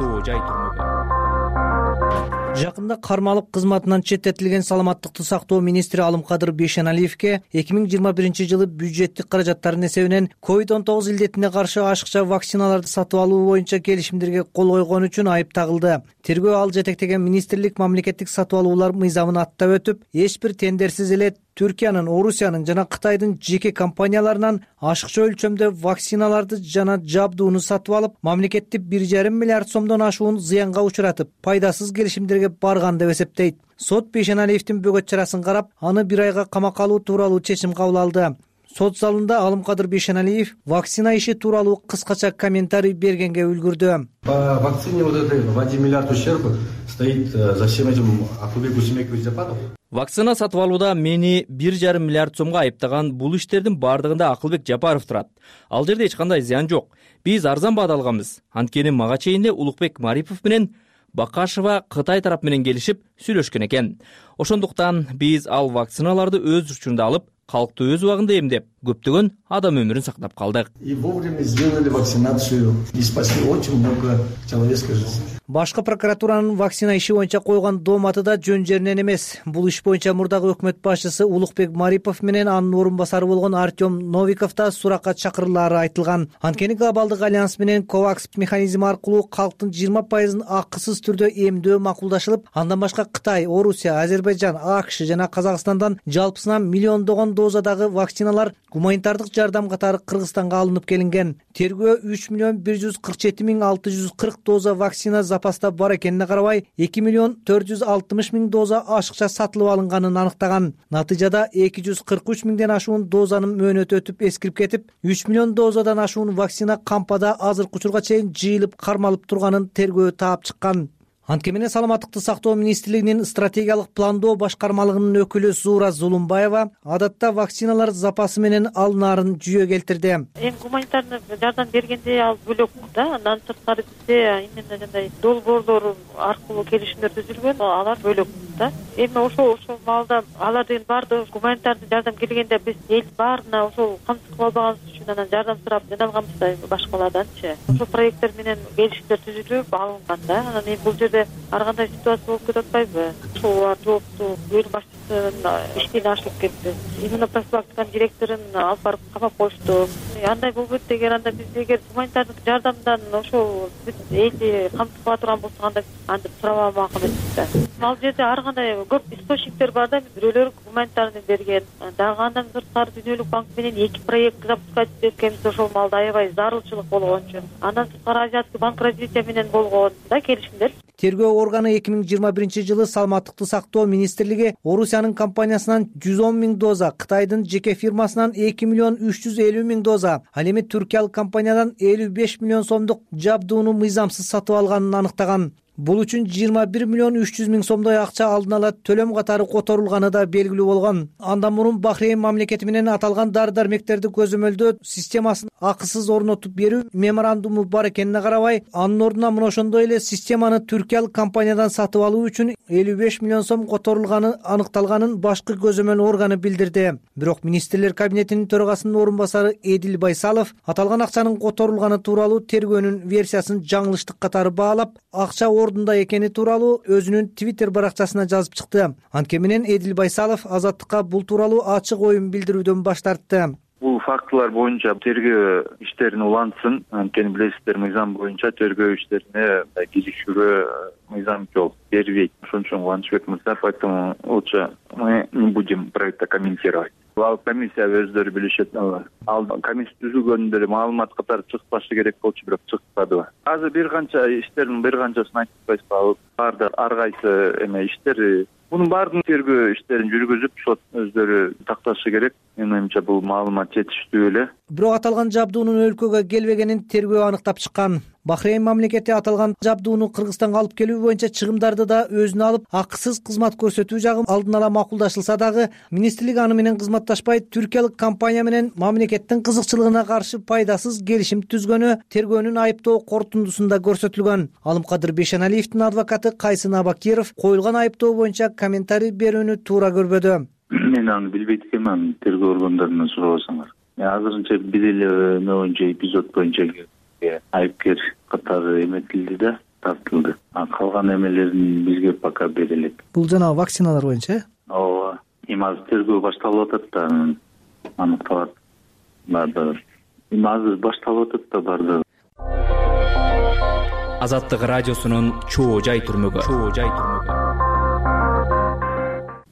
Жакында кармалып кызматынан четтетилген саламаттыкты сактоо министри Алымкадыр Бейшеналиевге 2021-жылы бюджеттик каражаттардын эсебинен COVID-19 илдетине каршы ашыкча вакциналарды сатып алуу боюнча келишимдерге кол койгон үчүн айып тагылды. Тергөө ал жетектеген министрлик мамлекеттик сатып алуулар мыйзамын аттап өтүп, эч бир тендерсиз эле Түркиянын, Орусиянын жана Кытайдын жеке компанияларынан ашыкча өлчөмдө вакциналарды жана жабдууну сатып алып, мамлекетти 1,5 миллиард сомдон ашуун зыянга учуратып, пайдасыз келишимдерге барган деп эсептейт. Сот Бейшеналиевдин бөгөт чарасын карап, аны 1 айга камакка алуу тууралуу чечим кабыл алды. Сот залында Алымкадыр Бейшеналиев вакцина иши тууралуу кыскача комментарий бергенге үлгүрдү. По вакцине вот этой в 1 миллиард ущерб стоит за всем этим Акылбек Усмекович Жапаров. Вакцина сатып алууда мени 1,5 миллиард сомго айыптаган бул иштердин бардыгында Акылбек Жапаров турат. Ал жерде эч кандай зыян жок. Биз арзан баада алганбыз. Анткени мага чейинде Улукбек Марипов менен Бакашева Кытай тарап менен келишип сүйлөшкөн экен. Ошондуктан биз ал вакциналарды өз учурунда алып, калкты өз убагында эмдеп, көптөгөн адам өмүрүн сактап калдык. И вовремя сделали вакцинацию и спасли очень много человеческой жизни. Башкы прокуратуранын вакцина иши боюнча койгон дооматы да жөн жеринен эмес. Бул иш боюнча мурдагы өкмөт башчысы Улукбек Марипов менен анын орун басары болгон Артем Новиков да суракка чакырылаары айтылган. Анткени глобалдык альянс менен COVAX механизми аркылуу калктын 20% акысыз түрдө эмдөө макулдашылып, андан башка Кытай, Орусия, Азербайжан, АКШ жана Казакстандан жалпысынан миллиондогон дозадагы вакциналар гуманитардык жардам катары Кыргызстанга алынып келинген. Тергөө 3,147,640 доза вакцина запаста бар экенине карабай, 2,460,000 доза ашыкча сатылып алынганын аныктаган. Натыйжада 243,000ден ашуун дозанын мөөнөтү өтүп эскирип кетип, 3 миллион дозадан ашуун вакцина кампада азыркы учурга чейин жыйылып кармалып турганын тергөө таап чыккан. Антке менен саламаттыкты сактоо министрлигинин стратегиялык пландоо башкармалыгынын өкүлү Зуура Зулумбаева адатта вакциналар запасы менен алынаарын жүйө келтирди. Эми гуманитарный жардам бергенде ал бөлөк да, андан сырткары бизде именно жандай долбоорлор аркылуу келишимдер түзүлгөн, алар бөлөк да. Эми ошол маалда алар деген баардыгы гуманитарный жардам келгенде биз эл баарына ошол камсыз кыла албаганыбыз үчүн анан жардам сурап жиналганбыз да башкаларданчы. Ошол проекттер менен келишимдер түзүлүп алынган да. Анан эми бул жерде ар кандай ситуация болуп кетип атпайбы? Ошол жоопту бөлүм башчысынын иштен ашылып кетти. Именно профилактиканын директорун алып барып камап коюшту. Андай болбойт деген, анда биз эгер гуманитардык жардамдан ошол биз элди камсыз кыла турган болсок анда антип сурабамак эмеспиз да. Ал жерде ар кандай көп источниктер бар да, бирөөлөр гуманитарный берген. Дагы андан сырткары Дүйнөлүк банк менен 2 проект запускать эткенбиз ошол маалда аябай зарылчылык болгон үчүн. Андан сырткары Азиатский банк развития менен болгон да келишимдер. Тергөө органы 2021-жылы саламаттыкты сактоо министрлиги Орусиянын компаниясынан 110 000 доза, Кытайдын жеке фирмасынан 2 350 000 доза, ал эми түркиялык компаниядан 55 миллион сомдук жабдууну мыйзамсыз сатып алганын аныктаган. Бул үчүн 21 300 000 сомдой акча алдын ала төлөм катары которулганы да белгилүү болгон. Андан мурун Бахрейн мамлекети менен аталган дары-дармектерди көзөмөлдөө системасын акысыз орнотуп берүү меморандуму бар экенине карабай, анын ордуна мына ошондой эле системаны түркиялык компаниядан сатып алуу үчүн 55 миллион сом которулганы аныкталганын башкы көзөмөл органы билдирди. Бирок министрлер кабинетинин төрагасынын орун басары Эдил Байсалов аталган акчанын которулганы тууралуу тергөөнүн версиясын жаңылыштык катары баалап, акча ордунда экени тууралуу өзүнүн Twitter баракчасына жазып чыкты. Антке менен Эдил Байсалов Азаттыкка бул тууралуу ачык оюн билдирүүдөн баш тартты. Бул фактылар боюнча тергөө иштерин улантсын. Анткени билесиздер, мыйзам боюнча тергөө иштерине кизикүүгө мыйзам жол бербейт. Ошон үчүн Кубанычбек мырза, поэтому лучше мы не будем про это комментировать. Ал комиссия өздөрү билишет. Ал комиссия түзүлгөндө эле маалымат катары чыкпашы керек болчу, бирок чыкпады. Азыр бир канча иштердин бир канчасын айтып атпайсызбы? Баардык ар кайсы иштер Мунун баардыгын тергөө иштерин жүргүзүп, сот өздөрү такташы керек. Менин оюмча бул маалымат жетиштүү эле. Бирок аталган жабдуунун өлкөгө келбегенин тергөө аныктап чыккан. Бахрейн мамлекети аталган жабдууну Кыргызстанга алып келүү боюнча чыгымдарды да өзүнө алып, акысыз кызмат көрсөтүү жагы алдын ала макулдашылса дагы, министрлик аны менен кызматташпай, түркиялык компания менен мамлекеттин кызыкчылыгына каршы пайдасыз келишим түзгөнү тергөөнүн айыптоо корутундусунда көрсөтүлгөн. Алымкадыр Бейшеналиевдин адвокаты Кайсын Абакиров коюлган айыптоо боюнча комментарий берүүнү туура көрбөдү. Мен аны билбейт экенмин, тергөө органдарынан сурабасаңар. Азырынча биз эле боюнча эпизод боюнча айыпкер катары эметилди да, тартылды. Калган эмелерин бизге пока берилет. Бул жана вакциналар боюнча? Ооба. Эми азыр тергөө башталып атат да, аныкталат. Баардыгы. Эми азыр башталып атат да баардыгы. Азаттык радиосунун чоо жай түрмөгү.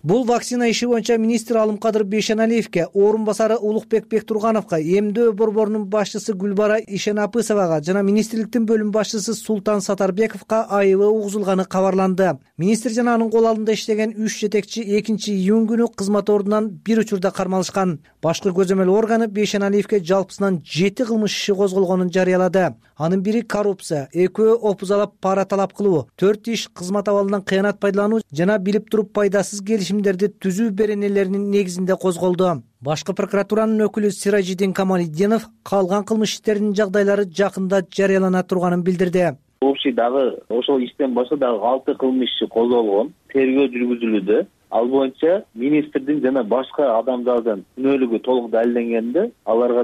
Бул вакцина иши боюнча министр Алымкадыр Бейшеналиевке, орун басары Улукбек Бектургановго, эмдөө борборунун башчысы Гүлбара Ишенапысовага жана министрликтин бөлүм башчысы Султан Сатарбековго айыбы угузулганы кабарланды. Министр жана анын кол алдында иштеген 3 жетекчи 2-июнь күнү кызмат ордунан бир учурда кармалышкан. Башкы көзөмөл органы Бейшеналиевке жалпысынан 7 кылмыш иши козголгонун жарыялады. Анын бири коррупция, 2 опузалап пара талап кылуу, 4 иш кызмат абалынан кыянат пайдалануу жана билип туруп пайдасыз келишимдерди түзүү беренелеринин негизинде козголду. Башкы прокуратуранын өкүлү Сиражидин Камалиддинов калган кылмыш иштеринин жагдайлары жакында жарыялана турганын билдирди. Общий дагы ошол иштен башка дагы 6 кылмыш иши козголгон, тергөө жүргүзүлүүдө. Ал боюнча министрдин жана башка адамдардын күнөөлүгү толук далилденгенде, алар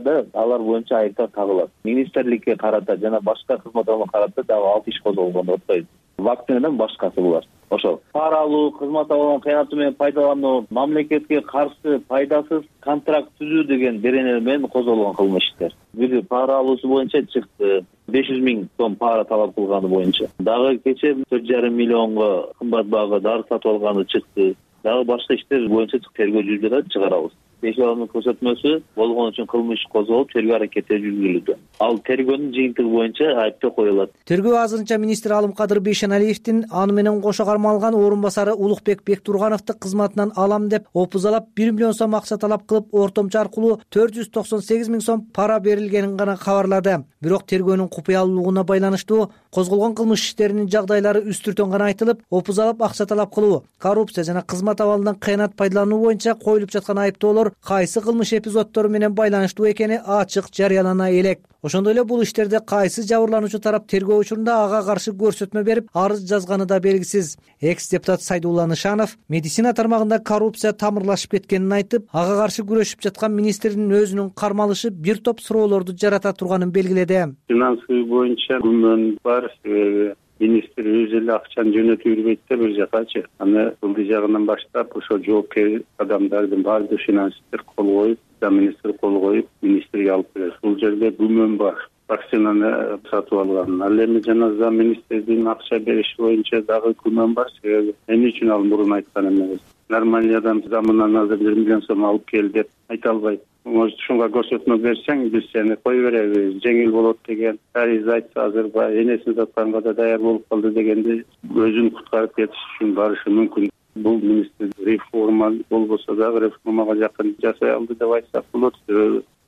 боюнча айыптар тагылат. Министрликке карата жана башка кызмат алууга карата дагы 6 иш козголгон деп атпайбы. Вакцинадан башкасы булар. Ошол пара алуу, кызмат алуудан кыянаты менен пайдалануу, мамлекетке каршы пайдасыз контракт түзүү деген беренелер менен козголгон кылмыш иштер. Бири пара алуусу боюнча чыкты. 500 000 сом пара талап кылганы боюнча. Дагы кече 4,5 миллионго кымбат баага дары сатып алганы чыкты. Дагы башка иштер боюнча тергөө жүрүп жатат, чыгарабыз. Бешаланын көрсөтмөсү болгон үчүн кылмыш иш козголуп, тергөө аракети жүргүзүлүүдө. Ал тергөөнүн жыйынтыгы боюнча айыптоо коюлат. Тергөө азырынча министр Алымкадыр Бейшеналиевдин аны менен кошо кармалган орун басары Улукбек Бектургановду кызматынан алам деп опузалап 1 миллион сом акча талап кылып, ортомчу аркылуу 498 миң сом пара берилгенин гана кабарлады. Бирок тергөөнүн купуялуулугуна байланыштуу козголгон кылмыш иштеринин жагдайлары үстүртөн гана айтылып, опузалап акча талап кылуу, коррупция жана кызмат абалынан кыянат пайдалануу боюнча коюлуп жаткан айыптоолор кайсы кылмыш эпизоддору менен байланыштуу экени ачык жарыялана элек. Ошондой эле бул иштерде кайсы жабырлануучу тарап тергөө учурунда ага каршы көрсөтмө берип, арыз жазганы да белгисиз. Экс-депутат Сайдулла Нышанов медицина тармагында коррупция тамырлашып кеткенин айтып, ага каршы күрөшүп жаткан министрдин өзүнүн кармалышы бир топ суроолорду жарата турганын белгиледи. Финансы боюнча күмөн бар, себеби министр өзү эле акчаны жөнөтүп бербейт да бир жакачы. Аны ылдый жагынан баштап, ошо жоопкер адамдардын баардыгы финансисттер кол коюп, министр кол коюп, министрге алып берет. Бул жерде күмөн бар. Вакцинаны сатып алган. Ал эми жана зам министрдин акча бериши боюнча дагы күмөн бар. Себеби эмне үчүн ал мурун айткан эмес. Нормальный адам замынан азыр 1 миллион сом алып кел деп айта албайт. Может, ушунга көрсөтмө берсең, биз сени кой беребиз, жеңил болот деген. Ариз айтса азыр энесин сатканга да даяр болуп калды дегенде өзүн куткарып кетиш үчүн барышы мүмкүн. Бул министр реформа болбосо дагы реформага жакын жасай алды деп айтсак болот.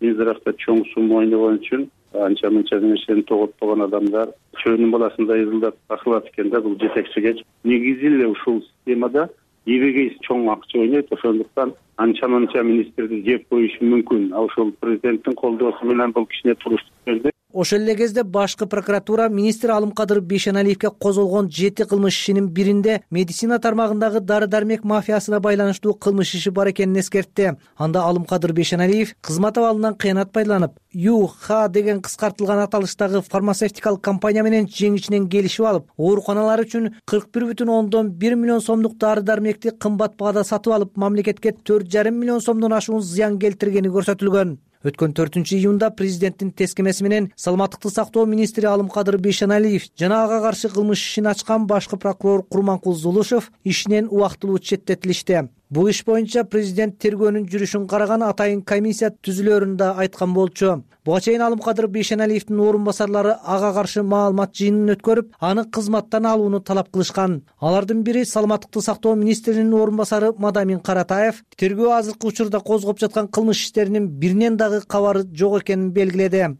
Минздравда чоң сумма ойногон үчүн анча-мынча нерсени тоготпогон адамдар чөйрөнүн баласындай ызылдап акылат экен да бул жетекчиге. Негизи эле ушул системада эбегейс чоң акча ойнойт, ошондуктан анча-мынча министрди жеп коюшу мүмкүн. Ошол президенттин колдоосу менен бул кичине туруштук берди. Ошол эле кезде башкы прокуратура министр Алымкадыр Бейшеналиевге козголгон 7 кылмыш ишинин биринде медицина тармагындагы дары-дармек мафиясына байланыштуу кылмыш иши бар экенин эскертти. Анда Алымкадыр Бейшеналиев кызмат абалынан кыянат пайдаланып, ЮХ деген кыскартылган аталыштагы фармацевтикалык компания менен жеңичинен келишип алып, ооруканалар үчүн 41,1 миллион сомдук дары-дармекти кымбат баада сатып алып, мамлекетке 4,5 миллион сомдон ашуун зыян келтиргени көрсөтүлгөн. Өткөн 4-июнда президенттин тескемеси менен саламаттыкты сактоо министри Алымкадыр Бейшеналиев жана ага каршы кылмыш ишин ачкан башкы прокурор Курманкул Зулушев ишинен убактылуу четтетилишти. Бул иш боюнча президент тергөөнүн жүрүшүн караган атайын комиссия түзүлөрүн да айткан болчу. Буга чейин Алымкадыр Бейшеналиевдин орун басарлары ага каршы маалымат жыйынын өткөрүп, аны кызматтан алууну талап кылышкан. Алардын бири саламаттыкты сактоо министринин орун басары Мадамин Каратаев тергөө азыркы учурда козгоп жаткан кылмыш иштеринин биринен дагы кабары жок экенин белгиледи.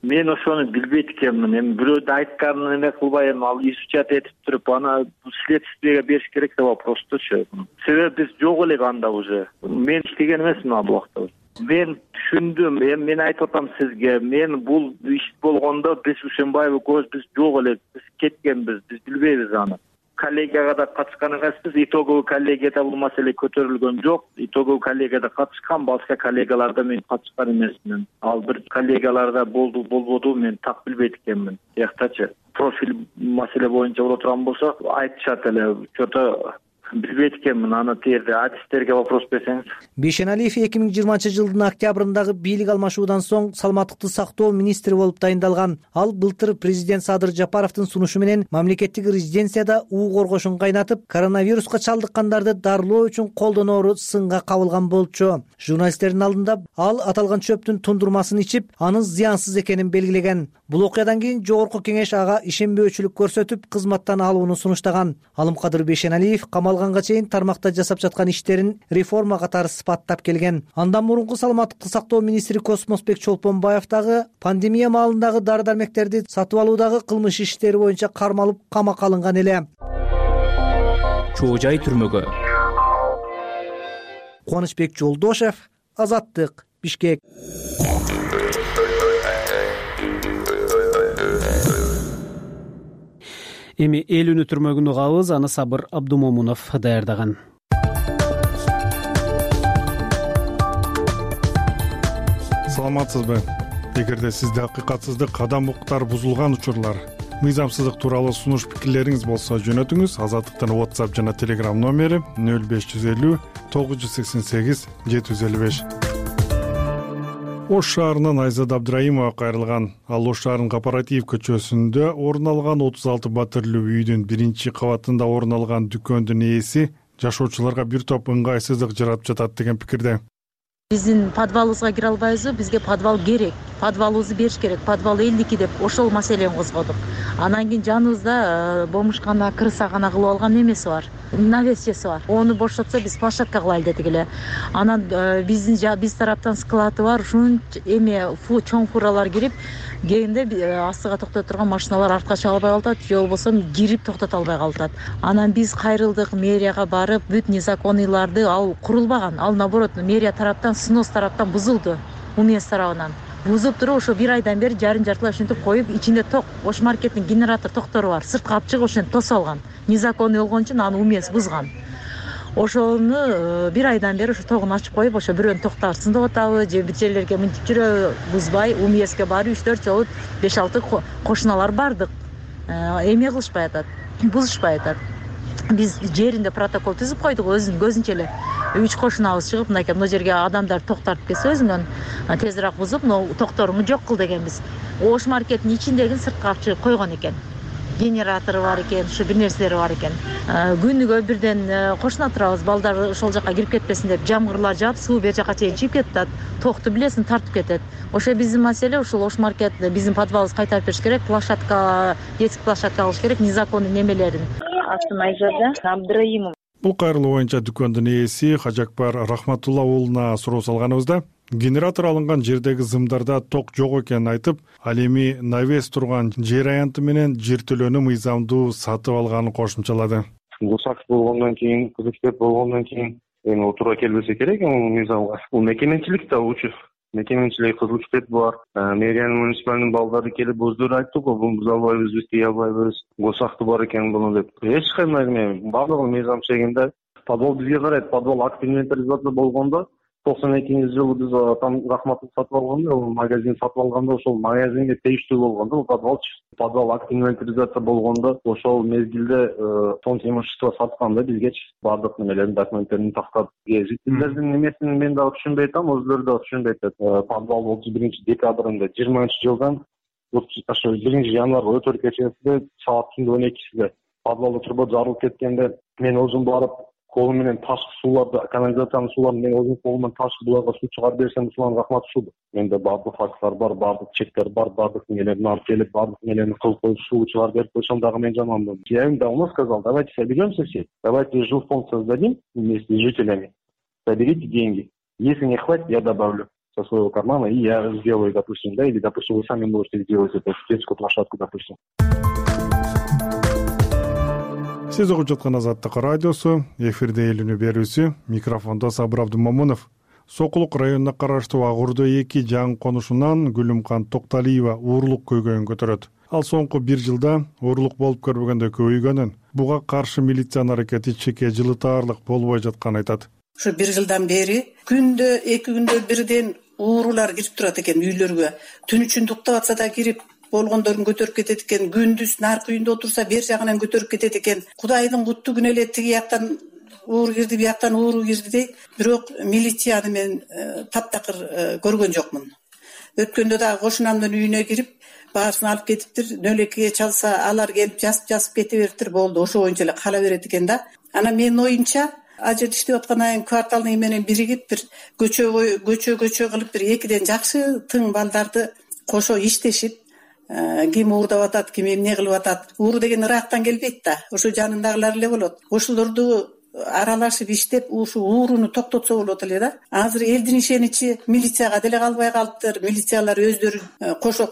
Мен ошону билбейт экенмин. Эми бирөөдүн айтканын эме кылбай, ал изучать этип туруп, аны следствиеге бериш керек деп просточу. Себеби биз жок элек анда уже. Мен иштеген эмесмин ал убакта. Мен түшүндүм. Эми мен айтып атам сизге, мен бул иш болгондо биз Ушенбаева көз биз жок элек, биз кеткенбиз, биз билбейбиз аны. Коллегияга да катышкан эмеспиз. Итоговый коллегияда бул маселе көтөрүлгөн жок. Итоговый коллегияда катышкан, башка коллегаларда мен катышкан эмесмин. Ал бир коллегаларда болбоду, мен так билбейт экенмин. Тияктачы профиль маселе боюнча боло турган болсо айтышат эле. Чото билбейт экенмин, аны терде адистерге вопрос берсеңиз. Бейшеналиев 2020-жылдын октябрындагы бийлик алмашуудан соң саламаттыкты сактоо министри болуп дайындалган. Ал былтыр президент Садыр Жапаровдун сунушу менен мамлекеттик резиденцияда уу коргошун кайнатып, коронавируска чалдыккандарды дарылоо үчүн колдоноору сынга кабылган болчу. Журналисттердин алдында ал аталган чөптүн тундурмасын ичип, анын зыянсыз экенин белгилеген. Бул окуядан кийин жогорку кеңеш ага ишенбөөчүлүк көрсөтүп, кызматтан алууну сунуштаган. Алымкадыр Бейшеналиев камалганга чейин тармакта жасап жаткан иштерин реформа катары сыпаттап келген. Андан мурунку саламаттыкты сактоо министри Космосбек Чолпонбаев дагы пандемия маалындагы дары-дармектерди сатып алуудагы кылмыш иштери боюнча кармалып камакка алынган эле. Чоо жай түрмөгө. Кубанычбек Жолдошев, Азаттык, Бишкек. Эми эл үнү түрмөгүн угабыз, аны Сабыр Абдумомунов даярдаган. Саламатсызбы? Эгерде сизде акыйкатсыздык, адам укуктары бузулган учурлар, мыйзамсыздык тууралуу сунуш пикирлериңиз болсо жөнөтүңүз. Азаттыктын WhatsApp жана Telegram номери 0550 988 755. Ош шаарынан Айзат Абдраимова кайрылган. Ал Ош шаарынын Кооператив көчөсүндө орун алган 36 батирлүү үйдүн 1-кабатында орун алган дүкөндүн ээси жашоочуларга бир топ ыңгайсыздык жаратып жатат деген пикирде. Биздин подвалыбызга кире албайбызбы? Бизге подвал керек. Подвалыбызды бериш керек. Подвал элдики деп ошол маселени козгодук. Анан кийин жаныбызда бомушкана, кырсагана кылып алган немеси бар. Навесчеси бар. Ону бошотсо биз площадка кылайлы дедик эле. Анан биз тараптан склады бар. Ушун чоң фуралар кирип келгенде астыга токтото турган машиналар артка чыга албай калат же болбосо кирип токтото албай калат. Анан биз кайрылдык, мэрияга барып, бүт незаконныйларды ал курулбаган. Ал наоборот мэрия тараптан, СНОС тараптан бузулду. УМС тарабынан бузуп туруп ошо бир айдан бери жартылай ушинтип коюп, ичинде ток, Ош маркеттин генератор токтору бар. Сыртка алып чыгып ошентип тосуп алган. Незаконный болгон үчүн аны УМС бузган. Ошону бир айдан бери ошо тогун ачып коюп, ошо бирөөнү токтотсын деп атабы, же бир жерлерге мынтип жүрөбү, бузбай, УМСке барып 3-4 жолу 5-6 кошуналар бардык. Эме кылышпай атат, бузушпай атат. Биз жеринде протокол түзүп койдук, өзүнүн көзүнчө эле. 3 кошунабыз чыгып, мынакей бул жерге адамдар токтартып келсе өзүңөн тезирээк бузуп, токторуңду жок кыл дегенбиз. Ош маркеттин ичиндегин сыртка алып чыгып койгон экен. Генератору бар экен, ушу бир нерселери бар экен. Күнүгө бирден кошуна турабыз, балдар ошол жака кирип кетпесин деп, жамгырлар жаап, суу бер жака чейин чыгып кетет, токту билесиң тартып кетет. Ошо биздин маселе, ушул Ош маркет биздин подвалыбызды кайтарып бериш керек, площадка, детский площадка кылыш керек, незаконный немелерин. Атым Айжарда Абдыраимов. Бул кайрылуу боюнча дүкөндүн ээси Хажакбар Рахматулла уулуна суроо салганыбызда генератор алынган жердеги зымдарда ток жок экенин айтып, ал эми навес турган жер аянты менен жер төлөөнү мыйзамдуу сатып алганын кошумчалады. Гусак болгондон кийин, кызыктеп болгондон кийин эми туура келбесе керек мыйзамга. Бул мекеменчилик да учу. Мекеменчилик кызылчтеп бар. Мэриянын муниципалдын балдары келип өздөрү айтты го, бул буза албайбыз, биз тие албайбыз. Гусакты бар экен буну деп. Эч кандай бардыгы мыйзам чегинде. Подвал бизге карайт. Подвал акт инвентаризация болгондо 92-жылы биз там Рахматов сатып алганда, магазин сатып алганда ошол магазинге тийиштүү болгондо, подвал акт инвентаризация болгондо ошол мезгилде фонд имущество сатканда бизге бардык немелерин, документтерин тактап, жителдердин немесин мен дагы түшүнбөй атам, өзүлөрү да түшүнбөй атат. Подвал 31-декабрында 20-жылдан ошо 1-январга өтөр кечесинде саат түндүн 12-синде подвалда турбо жарылып кеткенде мен өзүм барып колум менен ташкы сууларды, канализациянын сууларын мен өзүм колум менен ташкы буларга суу чыгарып берсем, ушуларга рахмат ушул. Менде бардык факттар бар, бардык чектер бар, бардык нелерин алып келип, бардык нелерин кылып коюп суу чыгарып берип койсом дагы мен жаманмын. Я им давно сказал, давайте соберемся все, давайте жилфонд создадим вместе с жителями, соберите деньги. Если не хватит, я добавлю со своего кармана, и я сделаю, допустим, да, или, допустим, вы сами можете сделать эту детскую площадку, допустим. Сиз угуп жаткан Азаттык радиосу, эфирде элүүнү берүүсү, микрофондо Сабыр Абдумамунов. Сокулук районуна караштуу Агурдо 2 жаңы конушунан Гүлүмкан Токталиева уурлук көйгөйүн көтөрөт. Ал соңку 1 жылда уурлук болуп көрбөгөндө көбөйгөнүн, буга каршы милициянын аракети чеке жылытаарлык болбой жатканын айтат. Ушу 1 жылдан бери күндө 2 күндө бирден уурулар кирип турат экен үйлөргө. Түн үчүн уктап атса да кирип болгондорун көтөрүп кетет экен, күндүз наркы үйүндө отурса бер жагынан көтөрүп кетет экен. Кудайдын куттугүнө эле тиги жактан ууру кирди, бияктан ууру кирди дейт. Бирок милицияны мен таптакыр көргөн жокмун. Өткөндө дагы кошунамдын үйүнө кирип, баарысын алып кетиптир. 02-ге чалса, алар келип жазып кете бериптир, болду. Ошо боюнча эле кала берет экен да. Анан менин оюмча, ал жерде иштеп аткан айын кварталдын менен биригип бир көчө кылып бир 2ден жакшы тың балдарды кошо иштешип, ким уурдап атат, ким эмне кылып атат. Ууру деген Ырактан келбейт да, ошо жанындагылар эле болот. Ошолорду аралашып иштеп, ушу ууруну токтотсо болот эле да. Азыр элдин ишеничи милицияга деле калбай калыптыр. Милициялар өздөрү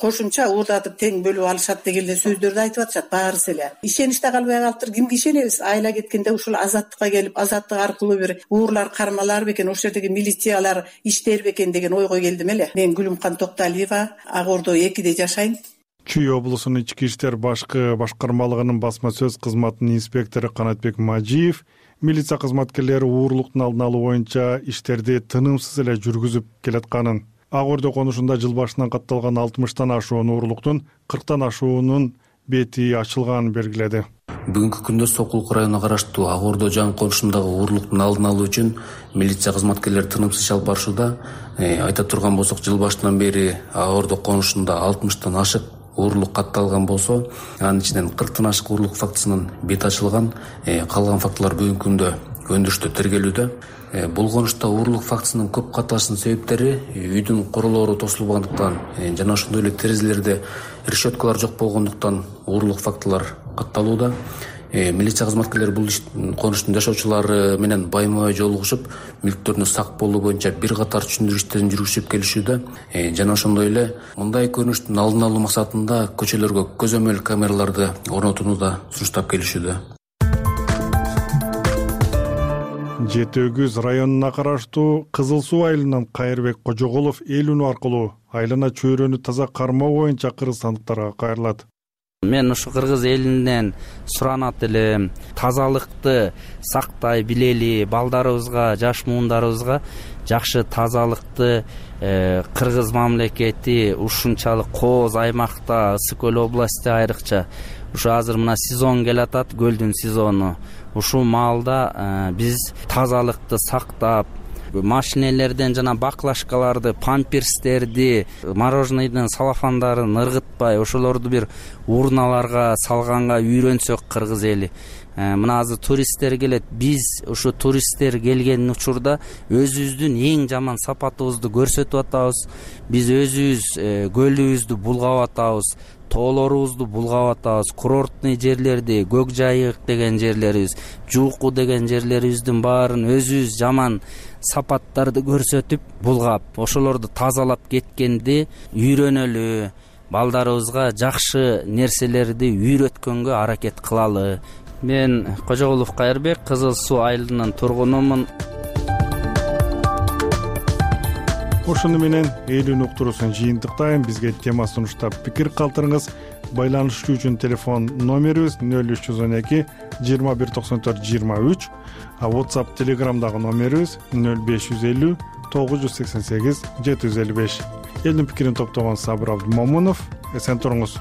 кошумча уурдатып тең бөлүп алышат деген эле сөздөрдү айтып атышат баарысы эле. Ишенич да калбай калыптыр. Кимге ишенебиз? Айла кеткенде ушул Азаттыкка келип, Азаттык аркылуу бир уурлар кармалар бекен, ошол жердеги милициялар иштер бекен деген ойго келдим эле. Мен Гүлүмкан Токталиева, Агордо 2-де жашайм. Чүй облусунун ички иштер башкармалыгынын басма сөз кызматынын инспектору Канатбек Мажиев милиция кызматкерлери уурлуктун алдын алуу боюнча иштерди тынымсыз эле жүргүзүп келатканын, Агордо конушунда жыл башынан катталган 60тан ашуун уурлуктун 40тан ашуунун бети ачылганын белгиледи. Бүгүнкү күндө Сокулук районуна караштуу Агордо жаңы конушундагы уурлуктун алдын алуу үчүн милиция кызматкерлери тынымсыз иш алып барышууда. Айта турган болсок, жыл башынан бери Агордо конушунда 60тан ашык уурлук катталган болсо, анын ичинен 40тан ашык уурлук фактысынын бети ачылган. Калган фактылар бүгүнкү күндө өндүрүштө тергелүүдө. Бул конушта уурулук фактысынын көп катарынын себептери үйдүн королору тосулбагандыктан жана ошондой эле терезелерде решеткалар жок болгондуктан уурулук фактылар катталууда. Милиция кызматкерлери бул конуштун жашоочулары менен байма-бай жолугушуп, мүлктөрүнө сак болуу боюнча бир катар түшүндүрүү иштерин жүргүзүп келишүүдө. Жана ошондой эле мындай көрүнүштүн алдын алуу максатында көчөлөргө көзөмөл камераларды орнотууну да сунуштап келишүүдө. Жети Өгүз районуна караштуу Кызыл Суу айылынан Кайырбек Кожоголов эл үнү аркылуу айлана чөйрөнү таза кармоо боюнча кыргызстандыктарга кайрылат. Мен ушу кыргыз элинен суранат элем, тазалыкты сактай билели, балдарыбызга, жаш муундарыбызга жакшы тазалыкты кыргыз мамлекети ушунчалык кооз аймакта, Ысык көл области айрыкча ушу азыр мына сезон келатат, көлдүн сезону. Ушул маалда биз тазалыкты сактап, машинелерден жана баклажкаларды, памперстерди, мороженыйдын салафандарын ыргытпай, ошолорду бир урналарга салганга үйрөнсөк кыргыз эли. Мына азыр туристтер келет. Биз ушу туристтер келген учурда өзүбүздүн эң жаман сапатыбызды көрсөтүп атабыз. Биз өзүбүз көлүбүздү булгап атабыз, тоолорубузду булгап атабыз, курортный жерлерди, Көк Жайык деген жерлерибиз, Жууку деген жерлерибиздин баарын өзүбүз жаман сапаттарды көрсөтүп булгап, ошолорду тазалап кеткенди үйрөнөлү, балдарыбызга жакшы нерселерди үйрөткөнгө аракет кылалы. Мен Кожоголов Кайырбек, Кызыл Суу айылынын тургунумун. Ошону менен эл үнү уктуруусун жыйынтыктайм. Бизге тема сунуштап пикир калтырыңыз. Байланышуу үчүн телефон номерибиз 0312 2194 23, а WhatsApp, Telegramдагы номерибиз 0550 988 755. Элдин пикирин топтогон Сабыр Абдымомунов. Эсен туруңуз.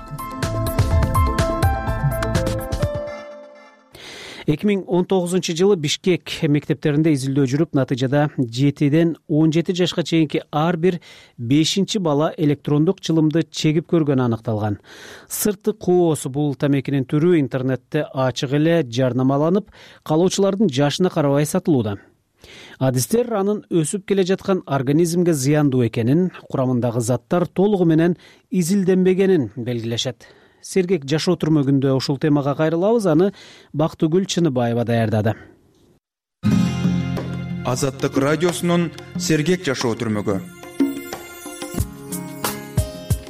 2019 Бишкек мектептеринде изилдөө жүрүп, натыйжада 7ден 17 жашка чейинки ар бир 5 бала электрондук чылымды чегип көргөнү аныкталган. Сырты кооз бул тамекинин түрү интернетте ачык эле жарнамаланып, калоочулардын жашына карабай сатылууда. Адистер анын өсүп келе жаткан организмге зыяндуу экенин, курамындагы заттар толугу менен изилденбегенин белгилешет. Сергек жашоо түрмөгүндө ушул темага кайрылабыз, аны Бактыгүл Чыныбаева даярдады. Азаттык радиосунун Сергек жашоо түрмөгү.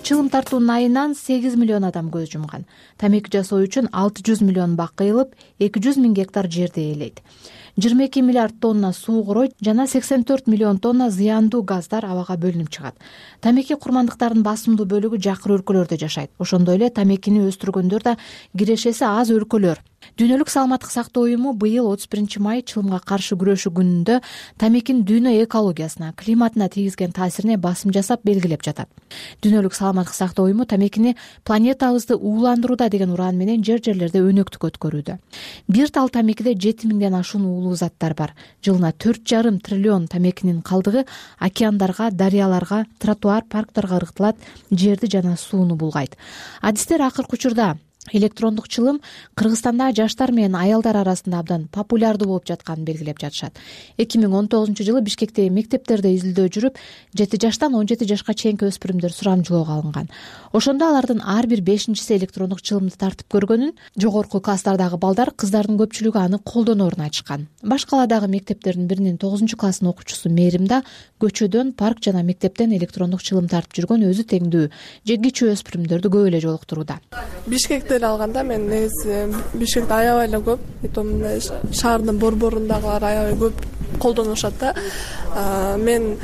Чылым тартуунун айынан 8 миллион адам көз жумган. Тамеки жасоо үчүн 600 миллион бак кыйылып, 200 миң гектар жерди ээлейт. 22 миллиард тонна суу куройт жана 84 миллион тонна зыяндуу газдар абага бөлүнүп чыгат. Тамеки курмандыктарынын басымдуу бөлүгү жакыр өлкөлөрдө жашайт. Ошондой эле тамекини өстүргөндөр да кирешеси аз өлкөлөр. Дүйнөлүк саламаттык сактоо уюму быйыл 31 май чылымга каршы күрөшүү күнүндө тамекинин дүйнө экологиясына, климатына тийгизген таасирине басым жасап белгилеп жатат. Дүйнөлүк саламаттык сактоо уюму тамекини планетабызды ууландырууда деген уран менен жер-жерлерде өнөктүк өткөрүүдө. Бир тал тамекиде 7 миңден ашуун уулуу заттар бар. Жылына 4,5 триллион тамекинин калдыгы океандарга, дарыяларга, тротуар, парктарга ыргытылат, жерди жана сууну булгайт. Адистер акыркы учурда электрондук чылым Кыргызстанда жаштар менен аялдар арасында абдан популярдуу болуп жатканын белгилеп жатышат. 2019 Бишкектеги мектептерде изилдөө жүрүп, 7 жаштан 17 жашка чейинки өспүрүмдөр сурамжылоого алынган. Ошондо алардын ар бир 5-си электрондук чылымды тартып көргөнүн, жогорку класстардагы балдар, кыздардын көпчүлүгү аны колдоноорун айтышкан. Баш каладагы мектептердин биринин 9-класстын окуучусу Мээримда көчөдөн, парк жана мектептен электрондук чылым тартып жүргөн өзү теңдүү жегичүү өспүрүмдөрдү көп эле жолуктурууда. Бишкекте эле алганда мен негизи Бишкекте аябай эле көп, мындай шаардын борборундагылар аябай көп колдонушат да. Мен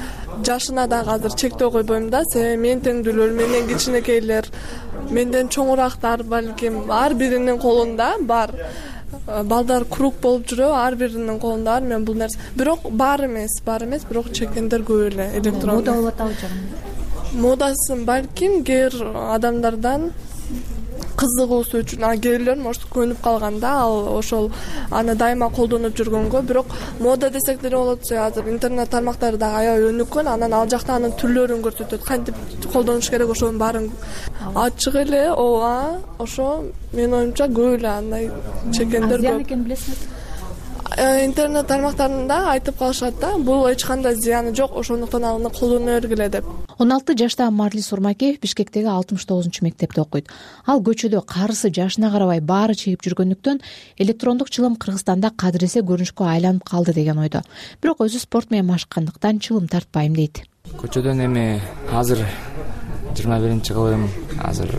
жашына дагы азыр чектөө койбойм да, себеби мен теңдүүлөр, менден кичинекейлер, менден чоңурактар балким ар биринин колунда бар. Балдар круг болуп жүрөбү, ар биринин колунда бар. Мен бул нерсе, бирок бар эмес, бирок чекендер көп эле электрондук. Мода болуп атабы жагы? Модасын балким кээ бир адамдардан кызыгуусу үчүн, кээ бирлер может көнүп калганда, ал ошол аны дайыма колдонуп жүргөнгө, бирок мода десек деле болот. Азыр интернет тармактары дагы аябай өнүккөн, анан ал жакта анын түрлөрүн көрсөтөт, кантип колдонуш керек, ошонун баарын ачык эле. Ооба, ошо менин оюмча көп эле андай чекендер көп. Зыян экенин билесизби? интернет тармактарында айтып калышат да, бул эч кандай зыяны жок, ошондуктан аны колдоно бергиле деп. 16 жаштагы Марлис Урмакеев Бишкектеги 69 мектепте окуйт. Ал көчөдө карысы жашына карабай баары чегип жүргөндүктөн электрондук чылым Кыргызстанда кадыресе көрүнүшкө айланып калды деген ойдо. Бирок өзү спорт менен машыккандыктан чылым тартпайм дейт. Көчөдөн эми азыр 21-кылым, азыр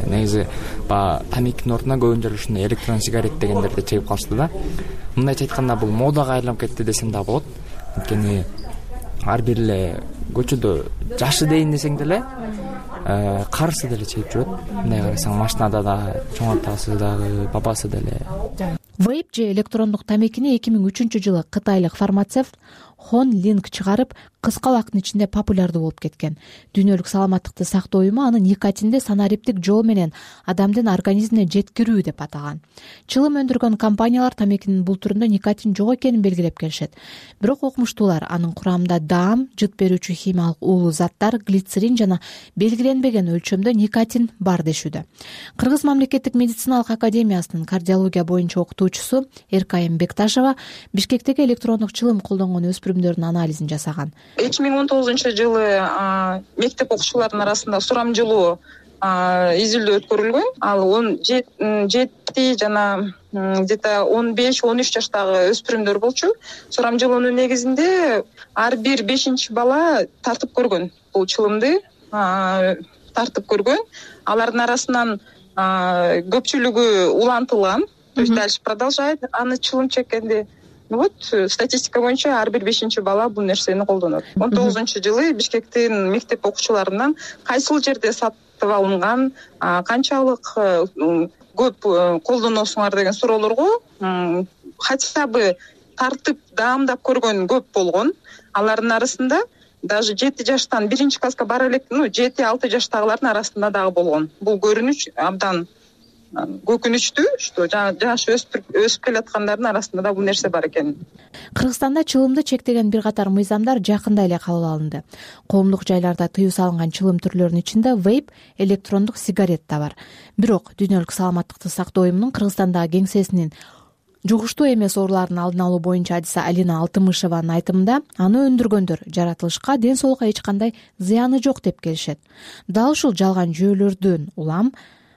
негизи тамекинин ордуна көбүнчө ушундай электрон сигарет дегендерди чегип калышты да. Мындайча айтканда бул модага айланып кетти десем да болот. Анткени ар бир эле көчөдө жашы дейин десең деле карысы деле чегип жүрөт. Мындай карасаң машинада да чоң атасы дагы, бабасы деле. Вейп же электрондук тамекини 2003-жылы кытайлык фармацевт Хон Линк чыгарып, кыска убакыттын ичинде популярдуу болуп кеткен. Дүйнөлүк саламаттыкты сактоо уюму аны никотинди санариптик жол менен адамдын организмине жеткирүү деп атаган. Чылым өндүргөн компаниялар тамекинин бул түрүндө никотин жок экенин белгилеп келишет. Бирок окумуштуулар анын курамында даам, жыт берүүчү химиялык уулуу заттар, глицерин жана белгиленбеген өлчөмдө никотин бар дешүүдө. Кыргыз мамлекеттик медициналык академиясынын кардиология боюнча окутуучусу Эркайым Бекташева Бишкектеги электрондук чылым колдонгон өспүрүмдөрдүн анализин жасаган. 2019-жылы мектеп окуучуларынын арасында сурамжылуу изилдөө өткөрүлгөн. Ал 17 жана где-то 15-13 жаштагы өспүрүмдөр болчу. Сурамжылоонун негизинде ар бир 5-чи бала тартып көргөн. Бул чылымды тартып көргөн. Алардын арасынан көпчүлүгү улантылган. То есть дальше продолжает аны чылым чеккенде. Вот статистика боюнча ар бир 5-чи бала бул нерсени колдонот. 19-жылы Бишкектин мектеп окуучуларынан кайсыл жерде сатып алынган, канчалык көп колдоносуңар деген суроолорго хотя бы тартып даамдап көргөн көп болгон. Алардын арасында даже 7 жаштан 1-чи класска бара элек, 7-6 жаштагылардын арасында дагы болгон. Бул көрүнүш абдан көкүнүчтүү, что жаш өсүп келаткандардын арасында да бул нерсе бар экен. Кыргызстанда чылымды чектеген бир катар мыйзамдар жакында эле кабыл алынды. Коомдук жайларда тыюу салынган чылым түрлөрүнүн ичинде вейп, электрондук сигарет да бар. Бирок Дүйнөлүк саламаттыкты сактоо уюмунун Кыргызстандагы кеңсесинин жугуштуу эмес оорулардын алдын алуу боюнча адиси Алина Алтымышеванын айтымында, аны өндүргөндөр жаратылышка, ден соолукка эч кандай зыяны жок деп келишет. Дал ушул жалган жүйөлөрдөн улам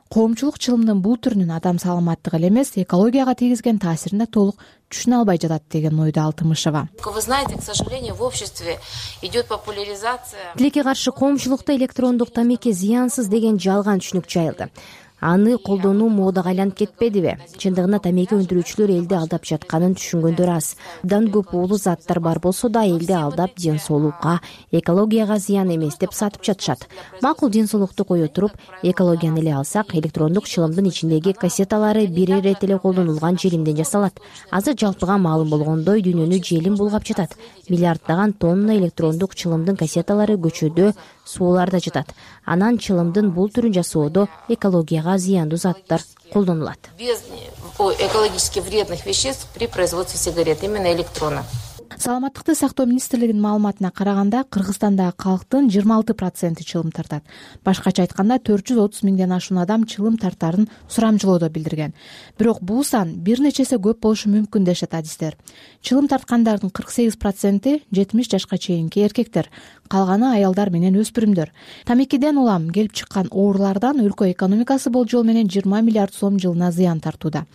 коомчулук чылымдын бул түрүнүн адам саламаттыгы эле эмес, экологияга тийгизген таасирин да толук түшүнө албай жатат деген ойдо Алтымышева. Вы знаете, к сожалению, в обществе идет популяризация. Тилекке каршы коомчулукта электрондук тамеки зыянсыз деген жалган түшүнүк жайылды. Аны колдонуу модага айланып кетпедиби? Чындыгында тамеки өндүрүүчүлөр элди алдап жатканын түшүнгөндөр аз. Абдан көп уулуу заттар бар болсо да элди алдап ден соолукка, экологияга зыян эмес деп сатып жатышат. Макул ден соолукту кое туруп, экологияны эле алсак, электрондук чылымдын ичиндеги кассеталары бир ирет эле колдонулган желимден жасалат. Азыр жалпыга маалым болгондой дүйнөнү желим булгап жатат. Миллиарддаган тонна электрондук чылымдын кассеталары көчөдө, сууларда жатат. Анан чылымдын бул түрүн жасоодо экологияга зыяндуу заттар колдонулат. Без экологически вредных веществ при производстве сигарет, именно электронных. Саламаттыкты сактоо министрлигинин маалыматына караганда, Кыргызстандагы калктын 26% чылым тартат. Башкача айтканда 430 миңден ашуун адам чылым тартарын сурамжылоодо билдирген. Бирок бул сан бир нече эсе көп болушу мүмкүн дешет адистер. Чылым тарткандардын 48% 70 жашка чейинки эркектер, калганы аялдар менен өспүрүмдөр. Тамекиден улам келип чыккан оорулардан өлкө экономикасы болжол менен 20 миллиард сом жылына зыян тартууда.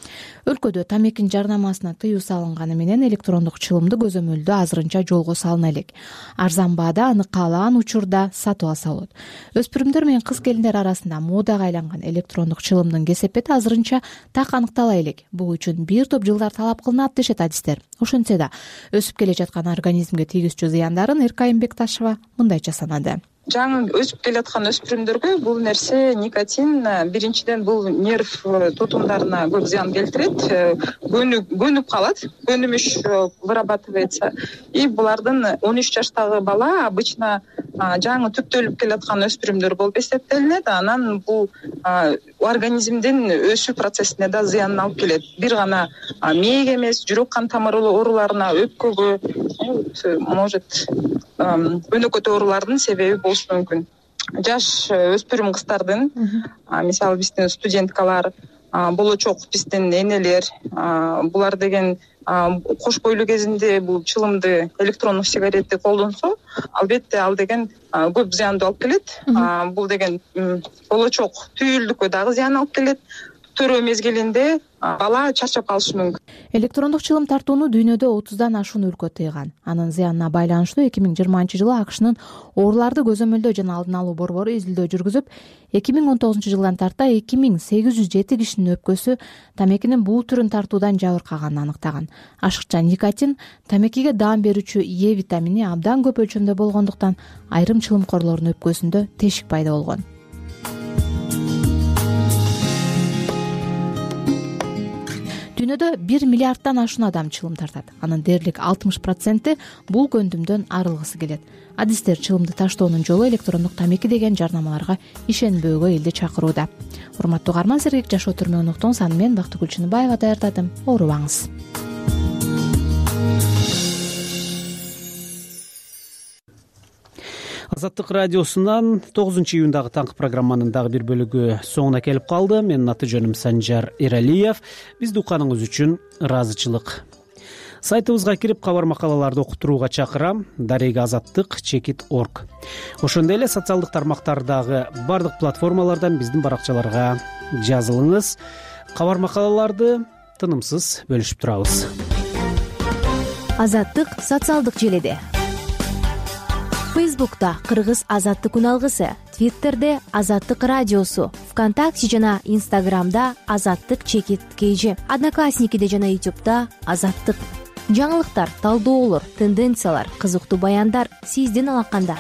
Өлкөдө тамекинин жарнамасына тыюу салынганы менен электрондук чылымды көзөмөлдөө азырынча жолго салына элек. Арзан баада аны каалаган учурда сатып алса болот. Өспүрүмдөр менен кыз келиндер арасында модага айланган электрондук чылымдын кесепети азырынча так аныктала элек. Бул үчүн бир топ жылдар талап кылынат дешет адистер. Ошентсе да өсүп келе жаткан организмге тийгизчү зыяндарын Эркайым Бекташева мындайча санады. Жаңы өсүп келаткан өспүрүмдөргө бул нерсе никотин биринчиден бул нерв тутумдарына көп зыян келтирет, көнүп калат, көнүмүш вырабатывается. И булардын 13 жаштагы бала обычно жаңы түптөлүп келаткан өспүрүмдөр болуп эсептелинет. Анан бул организмдин өсүү процессине да зыянын алып келет. Бир гана мээге эмес, жүрөк кан тамыр ооруларына, өпкөгө, может өнөкөт оорулардын себеби болушу мүмкүн. Жаш өспүрүм кыздардын, мисалы биздин студенткалар, болочок биздин энелер булар деген кош бойлуу кезинде бул чылымды электрондук сигаретти колдонсо, албетте ал деген көп зыянды алып келет. Бул деген болочок түйүлдүккө дагы зыян алып келет. Төрөө мезгилинде бала чарчап калышы мүмкүн. Электрондук чылым тартууну дүйнөдө 30дан ашуун өлкө тыйган. Анын зыянына байланыштуу 2020-жылы АКШнын ооруларды көзөмөлдөө жана алдын алуу борбору изилдөө жүргүзүп, 2019-жылдан тарта 2807 кишинин өпкөсү тамекинин бул түрүн тартуудан жабыркаганын аныктаган. Ашыкча никотин тамекиге даам берүүчү Е витамини абдан көп өлчөмдө болгондуктан айрым чылымкорлордун өпкөсүндө тешик пайда болгон. Дүйнөдө 1 миллиарддан ашуун адам чылым тартат. Анын дээрлик 60% бул көндүмдөн арылгысы келет. Адистер чылымды таштоонун жолу электрондук тамеки деген жарнамаларга ишенбөөгө элди чакырууда. Урматтуу угарман, сергек жашоо түрмөгүнүн саны мен Бактыгүл Чыныбаева даярдадым. Оорубаңыз. Азаттык радиосунан 9-июндагы таңкы программанын дагы бир бөлүгү соңуна келип калды. Менин аты жөнүм Санжар Эралиев. Бизди укканыңыз үчүн ыраазычылык. Сайтыбызга кирип кабар макалаларды окутууга чакырам. Дарега azattik.org. Ошондой эле социалдык тармактардагы бардык платформалардан биздин баракчаларга жазылыңыз. Кабар макалаларды тынымсыз бөлүшүп турабыз. Азаттык социалдык желеде. Фейсбукта Кыргыз азаттык күн алгысы, Твиттерде Азаттык радиосу, ВКонтакте жана Инстаграмда Азаттык_KG, Одноклассникиде жана Ютубта Азаттык. Жаңылыктар, талдоолор, тенденциялар, кызыктуу баяндар сиздин алаканда.